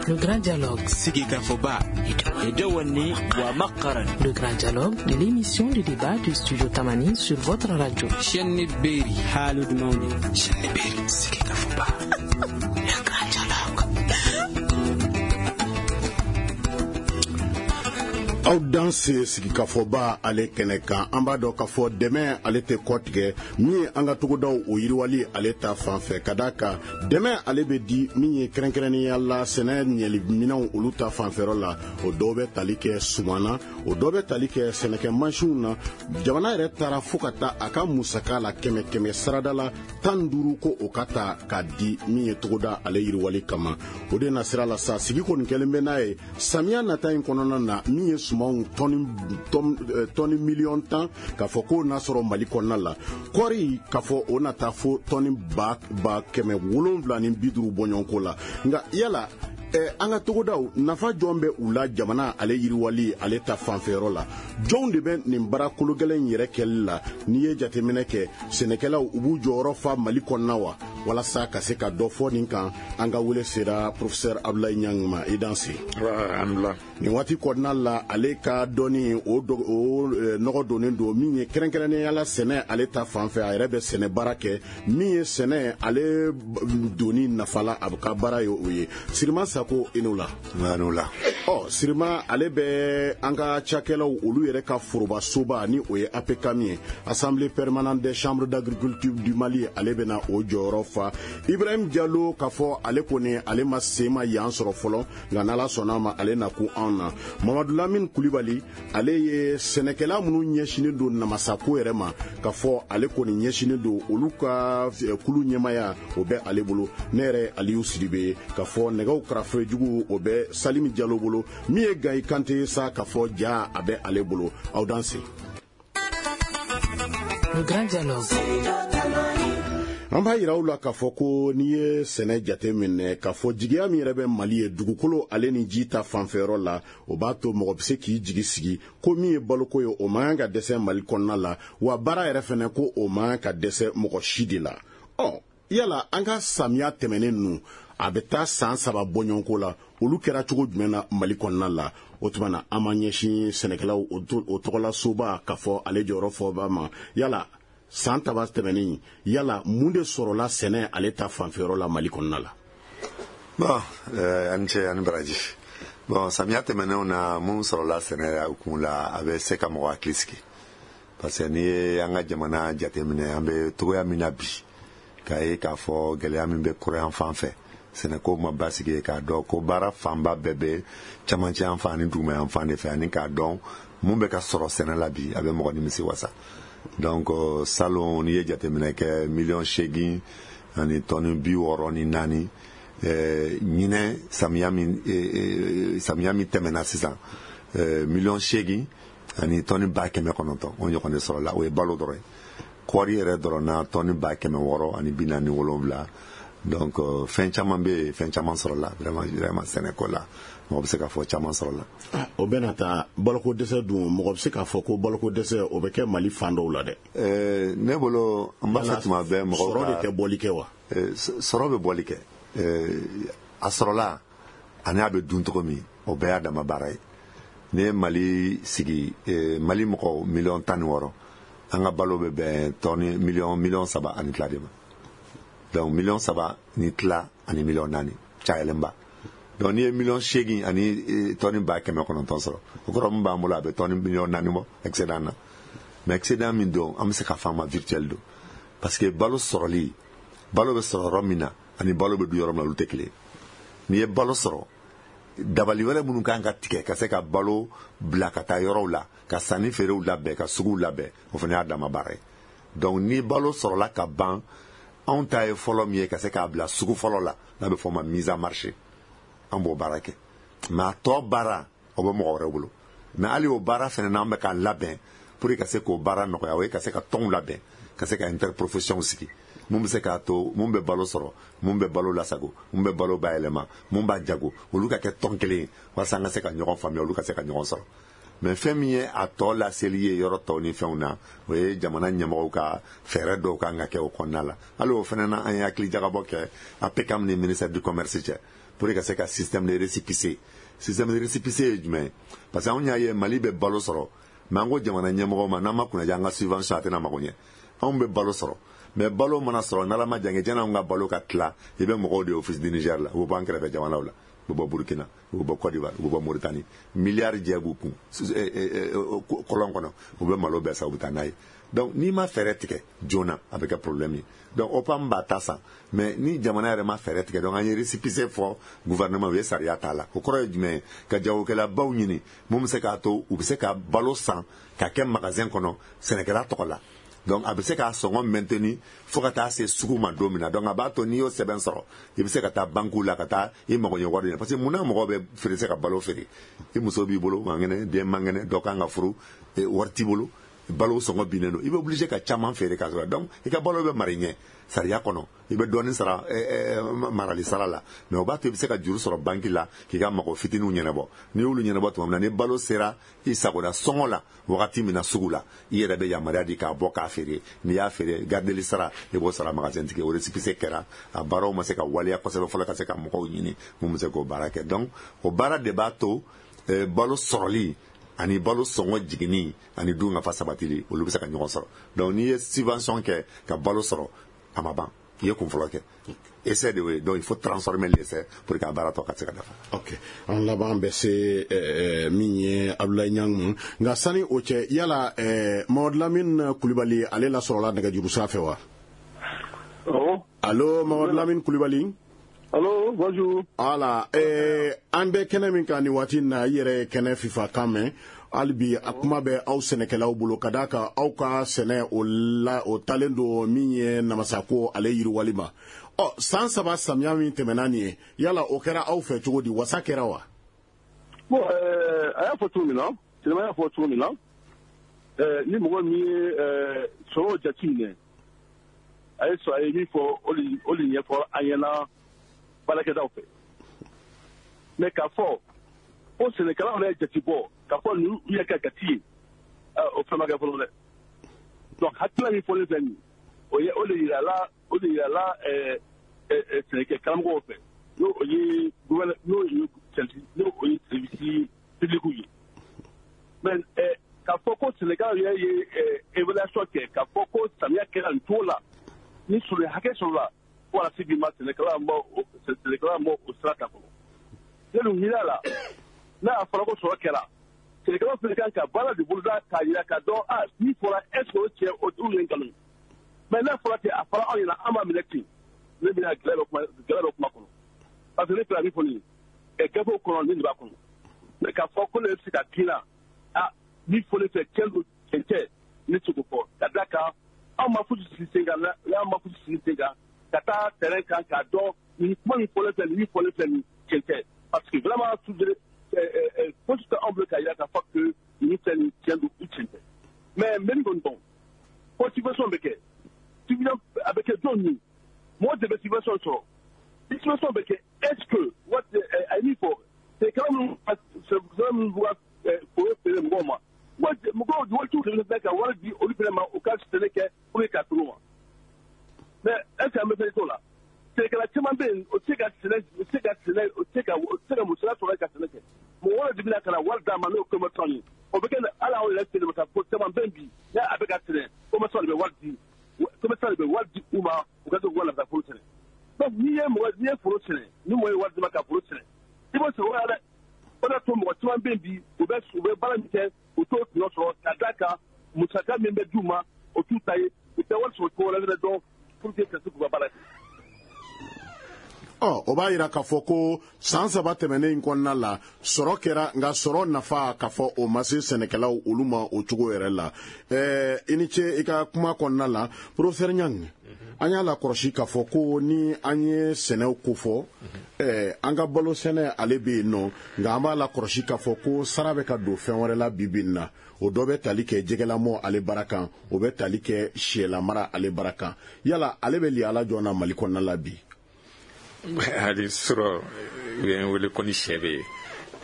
Le Grand Dialogue. Sigikafɔba. Le Grand Dialogue de l'émission de débat du Studio Tamani sur votre radio. Chaîne Berry. Haalude mawni. Chaîne Berry. Sigikafɔba. Le Grand Dialogue. Aw danse sigikafɔba ale kɛnɛ kan, an b'a dɔn k'a fɔ dɛmɛ ale tɛ kɔtigɛ min ye an ka togodaw o yiriwali ale ta fan fɛ, ka d'a kan dɛmɛ ale bɛ di min ye kɛrɛnkɛrɛnnenya la sɛnɛ ɲɛli minɛnw olu ta fanfɛyɔrɔ la. O dɔw bɛ tali kɛ suman na, o dɔw bɛ tali kɛ sɛnɛkɛ mansinw na. Jamana yɛrɛ taara fo ka taa a ka musaka la kɛmɛ kɛmɛ sarada la 15 ko o ka ta k'a di min ye togoda ale yiriwali kama. O de na sira la sa, sigi kɔni kɛlen bɛ n'a ye samiya nata in kɔnɔna na, min ye sumanw tɔni 10 miliyɔn k'a fɔ k'o n'a sɔrɔ Mali kɔnɔna la, kɔɔri k'a fɔ o na taa fo tɔni 750,000 bɔɲɔgɔnko la. Nka yala an ka togodaw nafa jɔn bɛ u la jamana ale yiriwali ale ta fanfɛyɔrɔ la? Jɔnw de bɛ nin baara kologɛlɛn in yɛrɛ kɛli la? N'i ye jateminɛ kɛ, sɛnɛkɛlaw u b'u jɔyɔrɔ fa Mali kɔnɔna wa? Walasa ka se ka dɔ fɔ nin kan, an ka wele sera professeur Abdoulaye Niang ma. I danse. Nin waati kɔnɔna la, ale ka dɔnni o nɔgɔ donnen don min ye kɛrɛnkɛrɛnnenya la sɛnɛ ale ta fan fɛ. A yɛrɛ bɛ sɛnɛ baara kɛ, min ye sɛnɛ ale donni nafa la, a bɛ ka baara ye o ye. Sirima Sako, i n'o la. La. Ɔ Sirima, ale bɛ an ka cakɛlaw olu yɛrɛ ka forobasoba ni o ye APCAM ye, Assemblée permanente des chambres d'agriculture du Mali, ale bɛna o jɔyɔrɔ fa. Ibrahim Jalo, k'a fɔ ale kɔni ale ma sen ma yan sɔrɔ fɔlɔ, nka n'Ala sɔnna a ma, ale na kun anw na. Mamadu Lamine Kulibali, ale ye sɛnɛkɛla minnu ɲɛsinnen don namasako yɛrɛ ma, k'a fɔ ale kɔni ɲɛsinnen don olu ka kulu ɲɛmaya, o bɛ ale bolo. Ne yɛrɛ Aliyu Sidibe, k'a fɔ nɛgɛw karafe jugu, o bɛ Salimi Jalo bolo. Min ye Gayi Kante ye sa, k'a fɔ ja a bɛ ale bolo. Aw danse. Le Grand Dialogue. An b'a yira aw la k'a fɔ ko n'i ye sɛnɛ jate minɛ, k'a fɔ jigiya min yɛrɛ bɛ Mali ye dugukolo ale ni ji ta fanfɛyɔrɔ la, o b'a to mɔgɔ bɛ se k'i jigi sigi ko min ye baloko ye, o man kan ka dɛsɛ Mali kɔnɔna la, wa baara yɛrɛ fɛnɛ ko o man kan ka dɛsɛ mɔgɔ si de la. Ɔ yala an ka samiya tɛmɛnen ninnu, a bɛ taa san 3 bɔɲɔgɔnko la, olu kɛra cogo jumɛn na Mali kɔnɔna la? O tuma na, an b'an ɲɛsin sɛnɛkɛlaw o tɔgɔla soba, k'a fɔ ale jɔyɔrɔ fɔba ma. Yala san 3 tɛmɛnen, yala mun de sɔrɔla sɛnɛ ale ta fanfɛyɔrɔ la Mali kɔnɔna la? Bon, ani ce ani baraji. Bon, samiya tɛmɛnenw na, mun sɔrɔla sɛnɛ kun la, a bɛ se ka mɔgɔ hakili sigi, parce que n'i ye an ka jamana jateminɛ, an bɛ togoya min na bi, k'a ye k'a fɔ gɛlɛya min bɛ kɔrɔyan fan fɛ, sɛnɛko ma basigi, k'a dɔn ko baara fanba bɛɛ bɛ camancɛ yan fan ani duguma yan fan de fɛ, ani k'a dɔn mun bɛ ka sɔrɔ sɛnɛ la bi, a bɛ mɔgɔ nimisi wasa. Donc salon, n'i ye jateminɛ kɛ, 8,064 miliyɔn. Ɲinɛ samiya min tɛmɛna sisan, 8,9 miliyɔn, o ɲɔgɔn de sɔrɔla. O ye balo dɔrɔn ye. Kɔɔri yɛrɛ dɔrɔn na, tɔni 647. Donc fɛn caman bɛ yen, fɛn caman sɔrɔla vraiment vraiment. Sɛnɛko la, mɔgɔ bɛ se k'a fɔ caman sɔrɔla. O bɛna taa baloko dɛsɛ dun, mɔgɔ bɛ se k'a fɔ ko baloko dɛsɛ o bɛ kɛ Mali fan dɔw la dɛ? Ne bolo, n b'a fɛ tuma bɛɛ mɔgɔw sɔrɔ de tɛ bɔli kɛ wa? Sɔrɔ bɛ bɔli kɛ. A sɔrɔla ani a bɛ dun cogo min, o bɛɛ y'a dama baara ye. N'i ye Mali sigi, Mali mɔgɔ 16 miliyɔn, an ka balo bɛ bɛn tɔni 3,5 miliyɔn de ma. Donc 3,5 miliyɔn ani 4 miliyɔn cayalenba. Donc n'i ye 8,9 miliyɔn sɔrɔ, o kɔrɔ min b'an bolo, a bɛ tɔni 4 miliyɔn bɔ excédent na. Mais excédent min don, an bɛ se k'a fɔ a ma virtuel don, parce que balo sɔrɔli, balo bɛ sɔrɔ yɔrɔ min na ani balo bɛ dun yɔrɔ min na, olu tɛ kelen. N'i ye balo sɔrɔ, dabali wɛrɛ minnu kan ka tigɛ ka se ka balo bila ka taa yɔrɔw la, ka sanni feerew labɛn, ka suguw labɛn, o fana y'a dama baara ye. Donc ni balo sɔrɔla ka ban, anw ta ye fɔlɔ min ye ka se k'a bila sugu fɔlɔ la, n'a bɛ fɔ o ma mise en marché, an b'o baara kɛ. Mais a tɔ baara, o bɛ mɔgɔ wɛrɛw bolo. Mais hali o baara fana, n'an bɛ k'a labɛn pour que ka se k'o baara nɔgɔya, o ye ka se ka tɔnw labɛn, ka se ka interprofession sigi, mun bɛ se k'a to mun bɛ balo sɔrɔ, mun bɛ balo lasago, mun bɛ balo bayɛlɛma, mun b'a jago, olu ka kɛ tɔn kelen ye, walasa an ka se ka ɲɔgɔn faamuya, olu ka se ka ɲɔgɔn sɔrɔ. Mais fɛn min ye a tɔ laseli ye yɔrɔ tɔw ni fɛnw na, o ye jamana ɲɛmɔgɔw ka fɛɛrɛ dɔw kan ka kɛ o kɔnɔna la. Hali o fana na, an ye hakili jagabɔ kɛ APCAM ni ministère du Commerce cɛ. Pour que ka se ka système de récépissé. Système de récépissé ye jumɛn ye? Parce que anw y'a ye, Mali bɛ balo sɔrɔ, mais an ko jamana ɲɛmɔgɔw ma, n'an ma kunnaja, an ka subvention a tɛna mago ɲɛ. Anw bɛ balo sɔrɔ, mais balo mana sɔrɔ, n'Ala ma jange, janni anw ka balo ka tila, i bɛ mɔgɔw de Office du Niger la, u bɛ bɔ an kɛrɛfɛ jamanaw la, u bɛ bɔ Burkina, u bɛ bɔ Côte d'Ivoire, u bɛ bɔ Mauritanie, miliyari jɛ b'u kun kɔlɔn kɔnɔ, u bɛ malo bɛɛ san, u bɛ taa n'a ye. Donc n'i ma fɛɛrɛ tigɛ joona, a bɛ kɛ problème ye. Donc OPAM b'a ta san, mais ni jamana yɛrɛ ma fɛɛrɛ tigɛ, donc an ye récépissé fɔ gouvernement, u ye sariya t'a la. O kɔrɔ ye jumɛn ye? Ka jagokɛlabaw ɲini mun bɛ se k'a to u bɛ se ka balo san ka kɛ magasin kɔnɔ sɛnɛkɛla tɔgɔ la. Donc a bɛ se k'a sɔngɔ maintenir fo ka taa se sugu ma don min na. Donc a b'a to n'i y'o sɛbɛn sɔrɔ, i bɛ se ka taa banque la ka taa i mago ɲɛ wari ɲini. Parce que munna mɔgɔw bɛ feere se ka balo feere? I muso b'i bolo, man kɛnɛ, den man kɛnɛ, dɔ kan ka furu, wari t'i bolo, balo sɔngɔ binnen don, i bɛ obligé ka caman feere ka sɔrɔ. Donc i ka balo bɛ mara i ɲɛ sariya kɔnɔ, i bɛ dɔɔnin sara marali sara la, mais o b'a to i bɛ se ka juru sɔrɔ banki la k'i ka mago fitininw ɲɛnabɔ. N'i y'olu ɲɛnabɔ tuma min na, ni balo sera i sagoda sɔngɔ la wagati min na sugu la, i yɛrɛ bɛ yamaruya di k'a bɔ k'a feere. N'i y'a feere, gardeli sara, i b'o sara magasin tigi. O récépissé kɛra, a baaraw ma se ka waleya kosɛbɛ fɔlɔ ka se ka mɔgɔw ɲini mun bɛ se k'o baara kɛ. Donc o baara de b'a to balo sɔrɔli ani balo sɔngɔ jiginni ani dun ka fa sabatili, olu bɛ se ka ɲɔgɔn sɔrɔ. Donc n'i ye subvention kɛ ka balo sɔrɔ, a ma ban, i ye kun fɔlɔ kɛ, essai de ye. Donc il faut transformer l'essai pour que a baara tɔ ka se ka dafa. Ok, an laban bɛ se min ye Abdoulaye Niang ma, nka sani o cɛ, yala Mamadu Lamine Kulibali, ale lasɔrɔla nɛgɛjuru sira fɛ wa? Allo, Mamadu Lamine Kulibali? Allo, bonjour. Voilà, an bɛ kɛnɛ min kan nin waati in na, i yɛrɛ ye kɛnɛ FIFA kan mɛn. Hali bi a kuma bɛ aw sɛnɛkɛlaw bolo, ka d'a kan aw ka sɛnɛ o la, o talen don min ye namasako ale yiriwali ma. Ɔ, san 3 samiya min tɛmɛna nin ye, yala o kɛra aw fɛ cogo di? Wasa kɛra wa? Bon, a y'a fɔ cogo min na, Tilema y'a fɔ cogo min na, ni mɔgɔ min ye sɔrɔ jateminɛ, a ye sɔrɔ, a ye min fɔ, o de ɲɛfɔ an ɲɛna baarakɛdaw fɛ. Mais k'a fɔ ko sɛnɛkɛlaw yɛrɛ ye jate bɔ k'a fɔ ninnu yɛrɛ ka jate ye, o fɛn ma kɛ fɔlɔ dɛ. Donc hakilina min fɔlen filɛ nin ye, o ye o de yirala, o de yirala sɛnɛkɛ karamɔgɔw fɛ, n'o o ye gouverneur, n'o ye n'o o ye service public ye. Mais k'a fɔ ko sɛnɛkɛlaw yɛrɛ ye évaluation kɛ k'a fɔ ko samiya kɛra nin cogo la, ni sɔrɔ hakɛ sɔrɔla, fo ka se bi ma, sɛnɛkɛla ma o sira ta fɔlɔ. Ne dun hinɛ la, n'a fɔra ko sɔrɔ kɛra, sɛnɛkɛlaw fana kan ka baara de boloda k'a yira k'a dɔn a min fɔra, est ce que o tiɲɛ o ye nkalon ye. Mais n'a fɔra ten, a fɔra anw ɲɛna, an b'a minɛ ten, ne bɛna gɛlɛya bɛ kuma, gɛlɛya bɛ kuma kɔnɔ, parce que ne filɛ min fɔ nin ye gafew kɔnɔ, nin de b'a kɔnɔ. Mais k'a fɔ ko ne bɛ se ka kin na, a min fɔlen filɛ, tiɲɛ don, tiɲɛ tɛ, ne tɛ se k'o fɔ, ka d'a kan anw ma fosi sigi sen kan, n'an ma fosi sigi sen kan ka taa terrain kan k'a dɔn nin kuma min fɔlen filɛ nin, min fɔlen filɛ nin, tiɲɛ tɛ, parce que vraiment toujours fosi tɛ anw bolo k'a yira k'a fɔ que nin filɛ nin, tiɲɛ don ou tiɲɛ tɛ. Mais n bɛ min kɔni dɔn, ko subvention bɛ kɛ, subvention a bɛ kɛ jɔn ye, mɔgɔ de bɛ subvention sɔrɔ? Ni subvention bɛ kɛ, est ce que waati a ye min fɔ, sɛnɛkɛla minnu b'u ka foro feere mɔgɔw ma, mɔgɔw waritigiw de bɛ ka wari di olu fana ma u ka sɛnɛ kɛ pour que k'a feere u ma. Mais est ce que an bɛ fɛn t'o la? Sɛnɛkɛla caman bɛ yen, o tɛ se ka sɛnɛ, o tɛ se ka sɛnɛ, o tɛ se ka musaka sɔrɔ ka sɛnɛ kɛ. Mɔgɔ wɛrɛ de bɛna ka na wari d'a ma, n'o ye commerçant ye. O bɛ kɛ hali anw yɛrɛ fɛ yen, ka fɔ caman bɛ yen bi, n'a a bɛ ka sɛnɛ, commerçant de bɛ wari di, commerçant de bɛ wari di u ma, u ka se k'u ka lafiya foro sɛnɛ. Donc n'i ye foro sɛnɛ, ni mɔgɔ ye wari d'i ma ka foro sɛnɛ, i b'o sɔrɔ o la dɛ. O de y'a to mɔgɔ caman bɛ yen bi, u bɛ baara min kɛ, u t'o tɔnɔ sɔrɔ, ka d'a kan musaka min bɛ d'u ma, o t'u ta ye, u tɛ wari sɔrɔ cogo wɛrɛ fɛnɛ dɔn pour que ka se k'u ka baara kɛ. Ɔ, o b'a yira k'a fɔ ko san 3 tɛmɛnen in kɔnɔna la, sɔrɔ kɛra, nka sɔrɔ nafa k'a fɔ o ma se sɛnɛkɛlaw olu ma o cogo yɛrɛ la. I ni ce i ka kuma kɔnɔna la, professeur Niang. An y'a lakɔlɔsi k'a fɔ ko ni an ye sɛnɛw kofɔ, an ka balo sɛnɛ ale bɛ yen nɔ, nka an b'a lakɔlɔsi k'a fɔ ko sara bɛ ka don fɛn wɛrɛ la bi bi in na. O dɔ bɛ tali kɛ jɛgɛlamɔ ale baara kan, o bɛ tali kɛ sɛlamara ale baara kan. Yala ale bɛ liyala jɔn na Mali kɔnɔna la bi? Hali sɔrɔ u ye n wele ko ni sɛ bɛ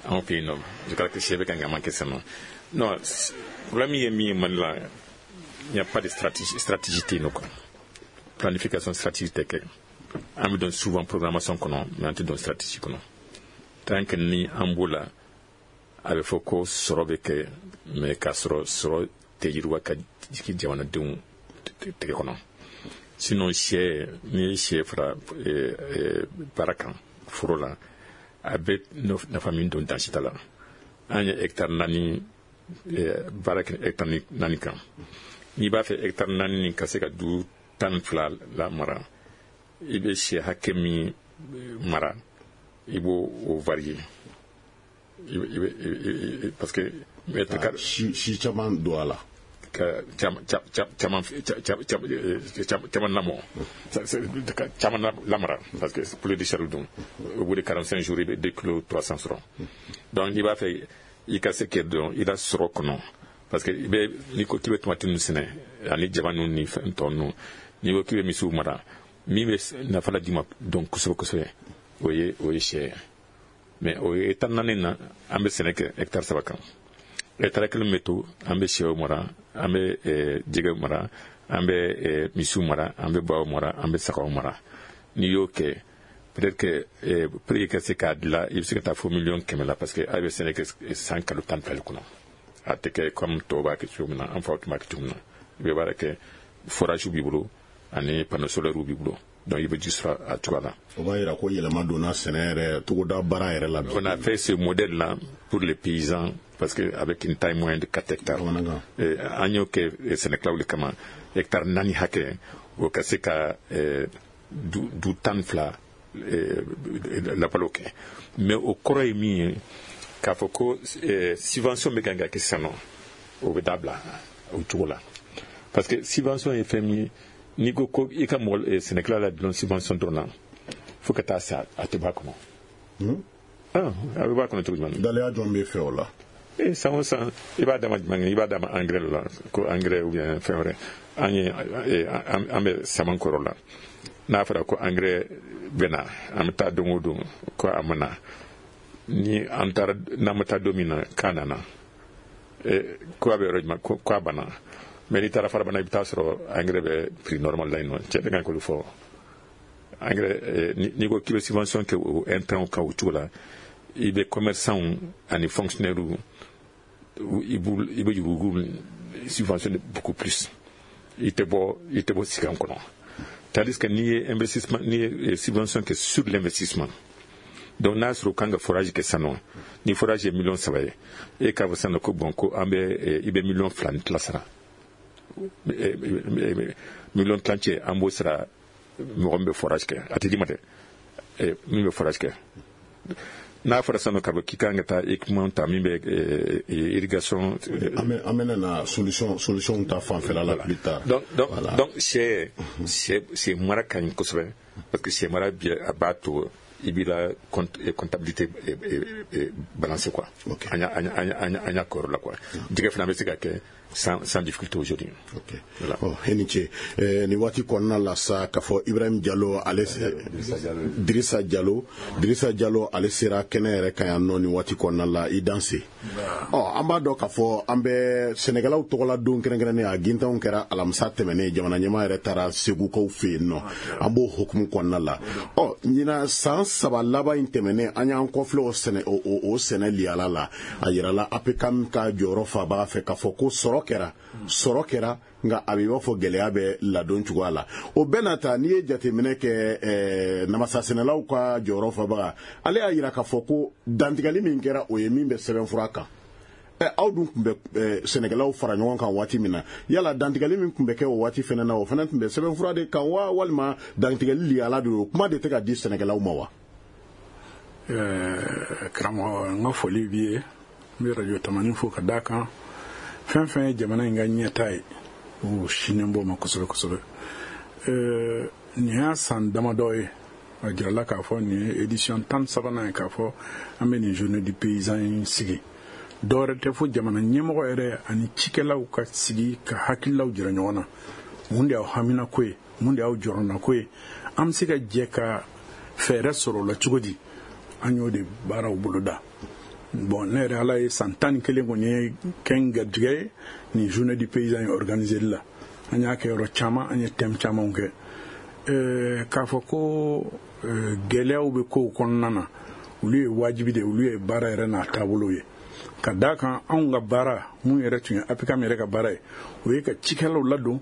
anw fɛ yen nɔ, je crois que sɛ bɛ ka ɲama kɛ sɛnɛ. Non, problème ye min ye Mali la, il n'y a pas de stratégie, stratégie tɛ yen nɔ quoi. Planification stratégique tɛ kɛ. An bɛ don souvent programmation kɔnɔ, mais an tɛ don stratégie kɔnɔ. Tant que ni an b'o la, a bɛ fɔ ko sɔrɔ bɛ kɛ, mais k'a sɔrɔ sɔrɔ tɛ yiriwa ka jigin jamanadenw tɛgɛ kɔnɔ. Sinon sɛ, n'i ye sɛ fara baara kan foro la, a bɛ nafa min don, dansi t'a la. An ye hectare 4 baara kɛ, hectare 4 kan. N'i b'a fɛ hectare 4 nin ka se ka du 12 la mara, i bɛ sɛ hakɛ min mara, i b'o o varier, i bɛ parce que mètre carré Si caman don a la. Ka caman caman caman lamɔ, caman lamara, parce que poulet de chair dun, au bout de 45 jours, i bɛ 2 kilos 300 sɔrɔ. Donc i b'a fɛ i ka se kɛ dɔn i la sɔrɔ kɔnɔ, parce que i bɛ, n'i ko k'i bɛ tomati ninnu sɛnɛ ani jaba ninnu ni fɛn tɔ ninnu, n'i ko k'i bɛ misiw mara, min bɛ nafa la d'i ma dɔn kosɛbɛ kosɛbɛ, o ye sɛ ye. Mais o ye hectare 4 na, an bɛ sɛnɛ kɛ hectare 3 kan. Hectare kelen bɛ to, an bɛ sɛw mara, an bɛ jɛgɛw mara, an bɛ misiw mara, an bɛ baw mara, an bɛ sagaw mara. N'i y'o kɛ, peut-être que prix ka se k'a dilan, i bɛ se ka taa fo miliyɔn 100 la, parce que a bɛ sɛnɛ kɛ san kalo 12 kɔnɔ. A tɛ kɛ comme tɔw b'a kɛ cogo min na, an faw tun b'a kɛ cogo min na. I bɛ baara kɛ, forage b'i bolo ani panneau solaire b'i bolo, donc i bɛ ji sɔrɔ a cogoya la. O b'a yira ko yɛlɛma donna sɛnɛ yɛrɛ, togoda baara yɛrɛ la. On a fait ce modèle là pour les paysans, parce que avec une taille moyenne de 4 hectares, an y'o kɛ sɛnɛkɛlaw de kama. Hectare 4 hakɛ, o ka se ka du 12 labalo kɛ. Mais o kɔrɔ ye min ye, k'a fɔ ko subvention bɛ kan ka kɛ sisan nɔ, o bɛ dabila o cogo la, parce que subvention ye fɛn min ye, n'i ko ko i ka mɔgɔ sɛnɛkɛla la dulon subvention dɔrɔn na fo ka taa sa, a tɛ bɔ a kɔnɔ. A bɛ bɔ a kɔnɔ cogo jumɛn? Daliya jɔn bɛ fɛ o la? E san o san, i b'a d'a ma jumɛn, i b'a d'a ma engrais la, ko engrais ou bien fɛn wɛrɛ. An ye an bɛ saman kɔrɔ la, n'a fɔra ko engrais bɛ na, an bɛ taa don o don ko a ma na. Ni an taara, n'an ma taa don min na k'a nana, ko a bɛ yɔrɔ jumɛn, ko a banna. Mais n'i taara Farabana, i bɛ taa sɔrɔ engrais bɛ prix normal la yen nɔ. Cɛ bɛ kan k'olu fɔ engrais. N'i ko k'i bɛ subvention kɛ o intrant kan o cogo la, i bɛ commerçant ani fonctionnaire, i bɛ yurugu subventionner beaucoup plus, i tɛ bɔ sigan kɔnɔ. Tandis que n'i ye investissement, n'i ye subvention kɛ sur l'investissement, donc n'a sɔrɔ u kan ka forage kɛ sisan nɔ, ni forage ye miliyɔn 3 ye, e k'a fɔ sisan nɔ ko bon, ko an bɛ i bɛ miliyɔn 2 ni tila sara, miliyɔn tilancɛ an b'o sara mɔgɔ min bɛ forage kɛ, a tɛ d'i ma dɛ, min bɛ forage kɛ. N'a fɔra sisan nɔ k'a fɔ k'i kan ka taa équipement ta min bɛ irrigation. An bɛna na solution ta fanfɛla la plus tard. Donc sɛ mara ka ɲi kosɛbɛ, parce que sɛ mara bi, a b'a to i b'i la comptabilité balancer quoi. An y'a kɔrɔ la quoi. Jɛgɛ fana bɛ se ka kɛ sans difficulté aujourd'hui. Ok. Voilà. Oh, e ni ce. Nin waati kɔnɔna la sa, k'a fɔ Ibrahim Jalo, ale Dirisa Jalo, Dirisa Jalo, ale sera kɛnɛ yɛrɛ kan yan nɔ nin waati kɔnɔna la. I danse. Ɔ, an b'a dɔn k'a fɔ an bɛ sɛnɛkɛlaw tɔgɔla don kɛrɛnkɛrɛnnen, a gintanw kɛra alamisa tɛmɛnen. Jamana ɲɛmaa yɛrɛ taara Segukaw fɛ yen nɔ. An b'o hukumu kɔnɔna la. Ɔ, ɲinan san 3 laban in tɛmɛnen, an y'an kɔfilɛ o sɛnɛ o sɛnɛ liyala la. A yirala APCAM ka jɔyɔrɔ fa b'a fɛ k'a fɔ ko sɔrɔ kɛra, sɔrɔ kɛra, nka a bɛ i b'a fɔ gɛlɛya bɛ ladon cogoya la. O bɛɛ n'a ta, n'i ye jateminɛ kɛ, namasa sɛnɛlaw ka jɔyɔrɔ fabaga, ale y'a yira k'a fɔ ko dantigɛli min kɛra, o ye min bɛ sɛbɛnfura kan. Aw dun tun bɛ sɛnɛkɛlaw fara ɲɔgɔn kan waati min na, yala dantigɛli min tun bɛ kɛ o waati fana na, o fana tun bɛ sɛbɛnfura de kan wa, walima dantigɛli liyala de don, kuma de tɛ ka di sɛnɛkɛlaw ma wa? Karamɔgɔ, n ka foli b'i ye. N bɛ Radio Tamani fo ka d'a kan fɛn fɛn ye jamana in ka ɲɛta ye, o sinnen b'o ma kosɛbɛ kosɛbɛ. Nin y'a san damadɔ ye, a jirala k'a fɔ nin ye édition 13nan ye k'a fɔ an bɛ nin journée du paysan in sigi. Dɔwɛrɛ tɛ fo jamana ɲɛmɔgɔ yɛrɛ ani cikɛlaw ka sigi ka hakililaw jira ɲɔgɔn na: mun de y'aw haminako ye, mun de y'aw jɔrɔnako ye, an bɛ se ka jɛ ka fɛɛrɛ sɔrɔ o la cogo di? An y'o de baaraw boloda. Bon, ne yɛrɛ, Ala ye san 11 kɔni ye kɛ n garijɛgɛ ye nin journée du paysan in organiseli la. An y'a kɛ yɔrɔ caman, an ye thème camanw kɛ. K'a fɔ ko gɛlɛyaw bɛ kow kɔnɔna na, olu ye wajibi de ye, olu ye baara yɛrɛ n'a taabolo ye. Ka d'a kan, anw ka baara mun yɛrɛ tun ye APCAM yɛrɛ ka baara ye, o ye ka cikɛlaw ladon,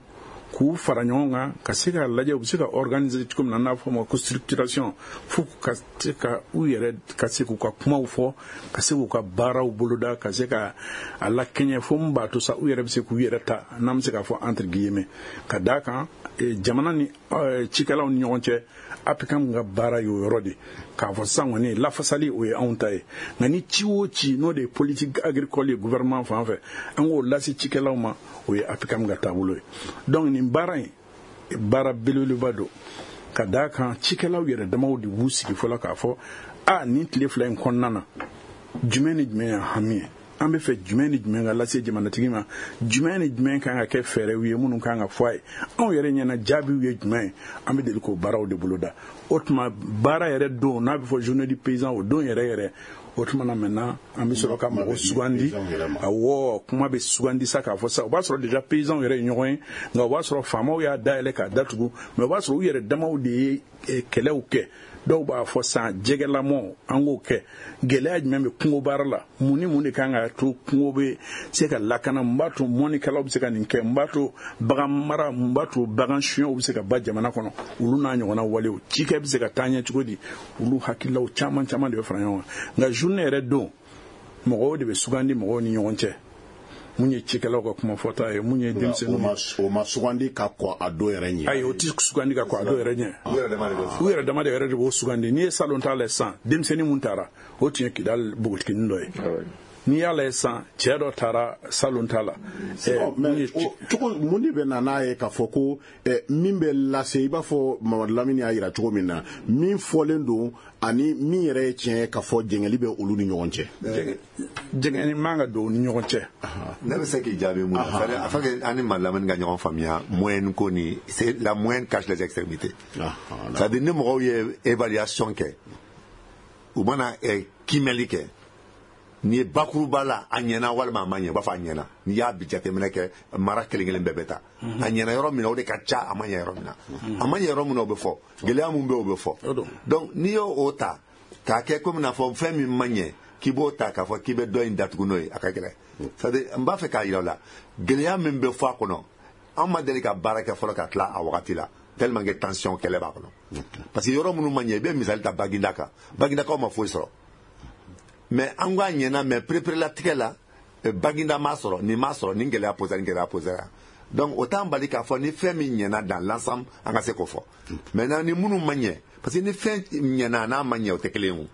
k'u fara ɲɔgɔn kan, ka se k'a lajɛ u bɛ se ka organiser cogo min na, n'a fɔ o ma ko structuration, fo ka se ka u yɛrɛ ka se k'u ka kumaw fɔ, ka se k'u ka baaraw boloda, ka se ka a lakɛɲɛ, fo mun b'a to sa u yɛrɛ bɛ se k'u yɛrɛ ta, n'an bɛ se k'a fɔ entre guillemets. Ka d'a kan, jamana ni cikɛlaw ni ɲɔgɔn cɛ, APCAM ka baara y'o yɔrɔ de k'a fɔ sisan kɔni, lafasali o ye anw ta ye, nka ni ci o ci n'o de ye politique agricole ye gouvernement fan fɛ, an k'o lase cikɛlaw ma, o ye APCAM ka taabolo ye. Donc nin baara in, baara belebeleba don, ka d'a kan cikɛlaw yɛrɛ damaw de b'u sigi fɔlɔ k'a fɔ: a nin tile 2 in kɔnɔna na, jumɛn ni jumɛn y'an hami ye, an bɛ fɛ jumɛn ni jumɛn ka lase jamanatigi ma, jumɛn ni jumɛn kan ka kɛ fɛɛrɛw ye minnu kan ka fɔ a ye, anw yɛrɛ ɲɛna jaabiw ye jumɛn ye. An bɛ deli k'o baaraw de boloda. O tuma baara yɛrɛ don n'a bɛ fɔ journée du paysan, o don yɛrɛ yɛrɛ, o tuma na maintenant an bɛ sɔrɔ ka mɔgɔ sugandi. Awɔ, kuma bɛ sugandi sa k'a fɔ sa, o b'a sɔrɔ déjà paysanw yɛrɛ ye ɲɔgɔn ye, nka o b'a sɔrɔ faamaw y'a dayɛlɛ k'a datugu, mais o b'a sɔrɔ u yɛrɛ damaw de ye kɛlɛw kɛ. Dɔw b'a fɔ san jɛgɛlamɔ, an k'o kɛ, gɛlɛya jumɛn bɛ kungo baara la, mun ni mun de kan ka to kungo bɛ se ka lakana, mun b'a to mɔnnikɛlaw bɛ se ka nin kɛ, mun b'a to bagan mara, mun b'a to bagan suɲɛw bɛ se ka ba jamana kɔnɔ, olu n'a ɲɔgɔnna walew, cikɛ bɛ se ka taa ɲɛ cogo di, olu hakililaw caman caman de bɛ fara ɲɔgɔn kan. Nka journée yɛrɛ don, mɔgɔw de bɛ sugandi mɔgɔw ni ɲɔgɔn cɛ, mun ye cikɛlaw ka kuma fɔta ye, mun ye denmisɛnninw. O ma sugandi ka kɔn a don yɛrɛ ɲɛ? Ayi, o ti sugandi ka kɔn a don yɛrɛ ɲɛ, u yɛrɛ dama de yɛrɛ de b'o sugandi. N'i ye salon ta lajɛ sisan, denmisɛnnin mun taara, o tun ye Kidali npogotiginin dɔ ye. N'i y'a lajɛ sisan, cɛ dɔ taara salon ta la. Cogo mun de bɛ na n'a ye k'a fɔ ko min bɛ lase, i b'a fɔ Mamadu Lamini y'a jira cogo min na, min fɔlen don ani min yɛrɛ ye tiɲɛ ye, k'a fɔ jɛngɛli bɛ olu ni ɲɔgɔn cɛ? Jɛngɛni man ka don u ni ɲɔgɔn cɛ. Ne bɛ se k'i jaabi mun na? C'est-à-dire afin que an ni Mamadu Lamini ka ɲɔgɔn faamuya, moyenne ko ni c'est la moyenne cache les extrémités. C'est-à-dire ni mɔgɔw ye évaluation kɛ, u mana kiimɛli kɛ, n'i ye bakuruba la, a ɲɛna walima a ma ɲɛ, u b'a fɔ a ɲɛna. N'i y'a bi jateminɛ kɛ, mara kelen kelen bɛɛ bɛ taa, a ɲɛna yɔrɔ min na, o de ka ca. A ma ɲɛ yɔrɔ min na, a ma ɲɛ yɔrɔ min na, o bɛ fɔ. Gɛlɛya mun bɛ, o bɛ fɔ. Donc n'i y'o o ta k'a kɛ komi n'a fɔ fɛn min ma ɲɛ, k'i b'o ta k'a fɔ k'i bɛ dɔ in datugu n'o ye, a ka gɛlɛn. C'est à dire n b'a fɛ k'a yira o la, gɛlɛya min bɛ fɔ a kɔnɔ, an ma deli ka baara kɛ fɔlɔ ka tila a wagati la, tellement que tension kɛlɛ b'a kɔnɔ. Parce que yɔrɔ minnu ma ɲɛ, i bɛ misali ta Baginda kan, Bagindakaw ma foyi sɔrɔ. Mais an ko a ɲɛna, mais pereperelatigɛ la, Baginda m'a sɔrɔ, nin m'a sɔrɔ, nin gɛlɛya posera, nin gɛlɛya posera. Donc o t'an bali k'a fɔ ni fɛn min ɲɛna dans l'ensemble, an ka se k'o fɔ. Maintenant ni minnu ma ɲɛ, parce que ni fɛn ɲɛna n'a ma ɲɛ, o tɛ kelen ye, o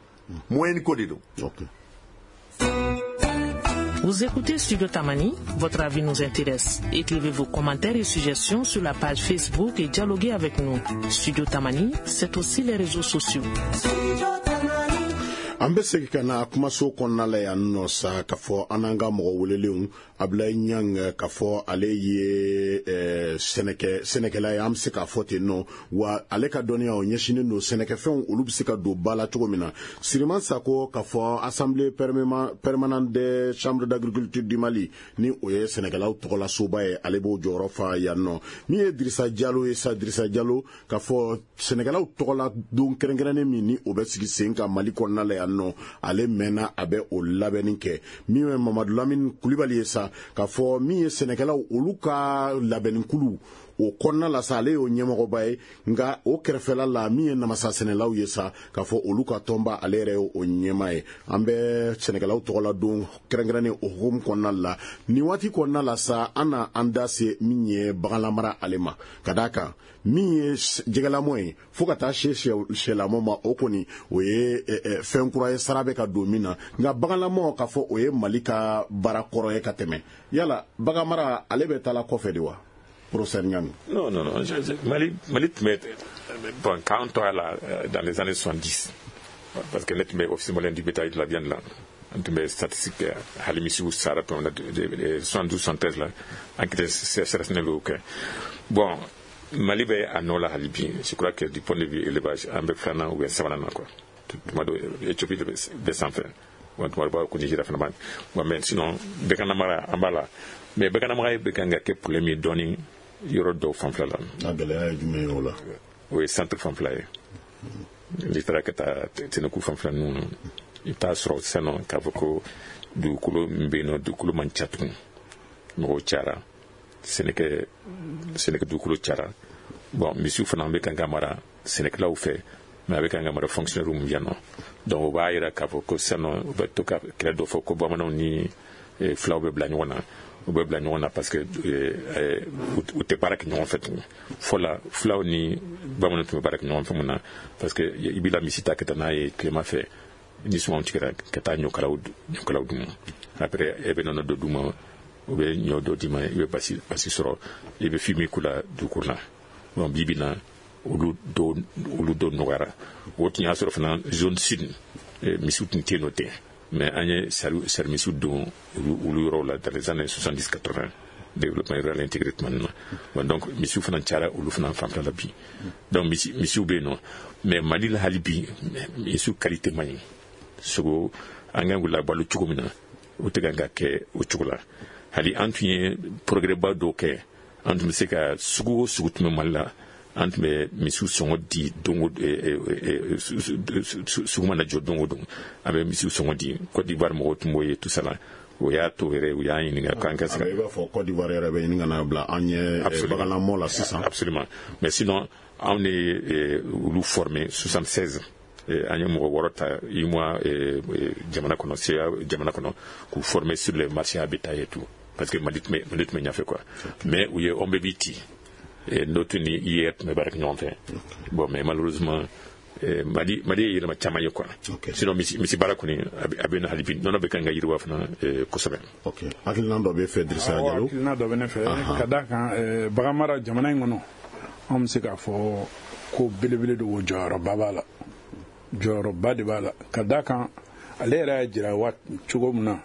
moyenne ko de don. Vous écoutez Studio Tamani, votre avis nous intéresse. Écrivez vos commentaires et suggestions sur la page Facebook et dialoguez avec nous. Studio Tamani, c'est aussi les réseaux sociaux. An bɛ segin ka na kumaso kɔnɔna la yan nɔ sa, k'a fɔ an n'an ka mɔgɔ welelenw, Abulayi Ɲang, k'a fɔ ale ye sɛnɛkɛ sɛnɛkɛla ye, an bɛ se k'a fɔ ten nɔ wa. Ale ka dɔnniya o ɲɛsinnen don sɛnɛkɛfɛnw, olu bɛ se ka don ba la cogo min na. Siriman Sako, k'a fɔ assemblée permanente des chambres d'agriculture du Mali, ni o ye sɛnɛkɛlaw tɔgɔla soba ye, ale b'o jɔyɔrɔ fa yan nɔ. Min ye Dirisa Jalo ye sa, Dirisa Jalo, k'a fɔ sɛnɛkɛlaw tɔgɔla don kɛrɛnkɛrɛnnen min ni o bɛ sigi sen kan Mali kɔnɔna la yan nɔ, ale mɛnna a bɛ o labɛnni kɛ. Min ye Mamadu Lamini Kulibali ye sa, k'a fɔ min ye sɛnɛkɛlaw olu ka labɛnnikulu o kɔnɔna la sa, ale y'o ɲɛmɔgɔba ye. Nka o kɛrɛfɛla la, min ye namasa sɛnɛlaw ye sa, k'a fɔ olu ka tɔnba, ale yɛrɛ ye o ɲɛma ye. An bɛ sɛnɛkɛlaw tɔgɔla don kɛrɛnkɛrɛnnen o hukumu kɔnɔna la nin waati kɔnɔna la sa, an na an da se min ye baganlamara ale ma, ka d'a kan min ye jɛgɛlamɔ ye fo ka taa se sɛlamɔ ma, o kɔni o ye fɛn kura ye, sara bɛ ka don min na. Nka baganlamɔ, k'a fɔ o ye Mali ka baara kɔrɔ ye ka tɛmɛ. Yala baganmara ale bɛ taa la kɔfɛ de wa, professeur Ɲami? Non, non, non. Mali tun bɛ, bon, k'an to a la dans les années 70, parce que ne tun bɛ Office malien du bétail de la viande la, an tun bɛ statistique kɛ, hali misiw sara tuma min na 72, 73 la, enquête CRSN y'o kɛ. Bon, Mali bɛ a nɔ la hali bi. Je crois que du point de vue élevage, an bɛ filanan ou bien sabanan na quoi. Tuma dɔ Éthiopie de bɛ sanfɛ, bon, tuma dɔ b'a ko Nigeria fana b'a. Bon, mais sinon baganmara an b'a la, mais baganmara bɛ kan ka kɛ problème ye dɔɔni yɔrɔ dɔw fanfɛla la. A gɛlɛya ye jumɛn ye o la? O ye centre fanfɛla ye. N'i taara ka taa Tɛnɛku fanfɛla ninnu, i bɛ taa sɔrɔ sisan nɔ k'a fɔ ko dugukolo min bɛ yen nɔ, dugukolo man ca tugun, mɔgɔw cayara, sɛnɛkɛ dugukolo cayara. Bon, misiw fana bɛ kan ka mara sɛnɛkɛlaw fɛ, mais a bɛ kan ka mara fonctionnaire min yan nɔ. Donc o b'a yira k'a fɔ ko sisan nɔ, u bɛ to ka kɛlɛ dɔ fɔ ko bamananw ni filaw bɛ bila ɲɔgɔn na. U bɛ bila ɲɔgɔn na parce que u tɛ baara kɛ ɲɔgɔn fɛ tugun. Fɔlɔ, filaw ni bamananw tun bɛ baara kɛ ɲɔgɔn fɛ. Mun na? Parce que i b'i la misi ta ka taa n'a ye tilema fɛ, ni sumanw tigɛra, ka taa ɲɔkalaw d'u ma. Après, e bɛ nɔnɔ dɔ d'u ma, u bɛ ɲɔ dɔ d'i ma, i bɛ basi sɔrɔ, i bɛ fumier k'u la dugukolo la. Bon, bi bi na, olu dɔw nɔgɔyara. O tun y'a sɔrɔ fana zone sud, misiw tun tɛ yen nɔ ten, mais an ye sari misiw don olu yɔrɔw la dans les années 70, 80, développement rural intégré tuma min na. Bon, donc misiw fana cayara olu fana fanfɛla la bi. Donc misiw bɛ yen nɔ, mais Mali la hali bi, misiw qualité man ɲi. Sogo, an kan k'u labalo cogo min na, o tɛ kan ka kɛ o cogo la. Hali an tun ye progrès ba dɔw kɛ. An tun bɛ se ka sugu o sugu tun bɛ Mali la, an tun bɛ misiw sɔngɔ di don o sugu mana jɔ, don o don an bɛ misiw sɔngɔ di. Côte d'Ivoire mɔgɔw tun b'o ye tout ça la. O y'a to yɛrɛ u y'an ɲininka k'an ka se ka I b'a fɔ Côte d'Ivoire yɛrɛ bɛ ɲini ka na bila an ɲɛ baganlamɔ la sisan. Absolument. Mais sinon, anw de ye olu formé 76. An ye mɔgɔ 6 ta UEMOA jamana kɔnɔ, CA jamana kɔnɔ, k'u former sur les marchés à bétail et tout, parce que Mali tun bɛ ɲɛfɛ quoi. Mais u ye OMBEBI ci, n'o tun ni IER tun bɛ baara kɛ ɲɔgɔn fɛ. Bon, mais malheureusement, Mali ye yɛlɛma caman ye quoi. Sinon misi baara kɔni, a bɛ na hali bi, nɔnɔ bɛ kan ka yiriwa fana kosɛbɛ. Ok, hakilina dɔ bɛ fɛ, Dirisa Jalo? Hakilina dɔ bɛ ne fɛ ka d'a kan bagan mara jamana in kɔnɔ. Anw bɛ se k'a fɔ ko belebele de o jɔyɔrɔba b'a la, jɔyɔrɔba de b'a la, ka d'a kan ale yɛrɛ y'a jira waati cogo min na,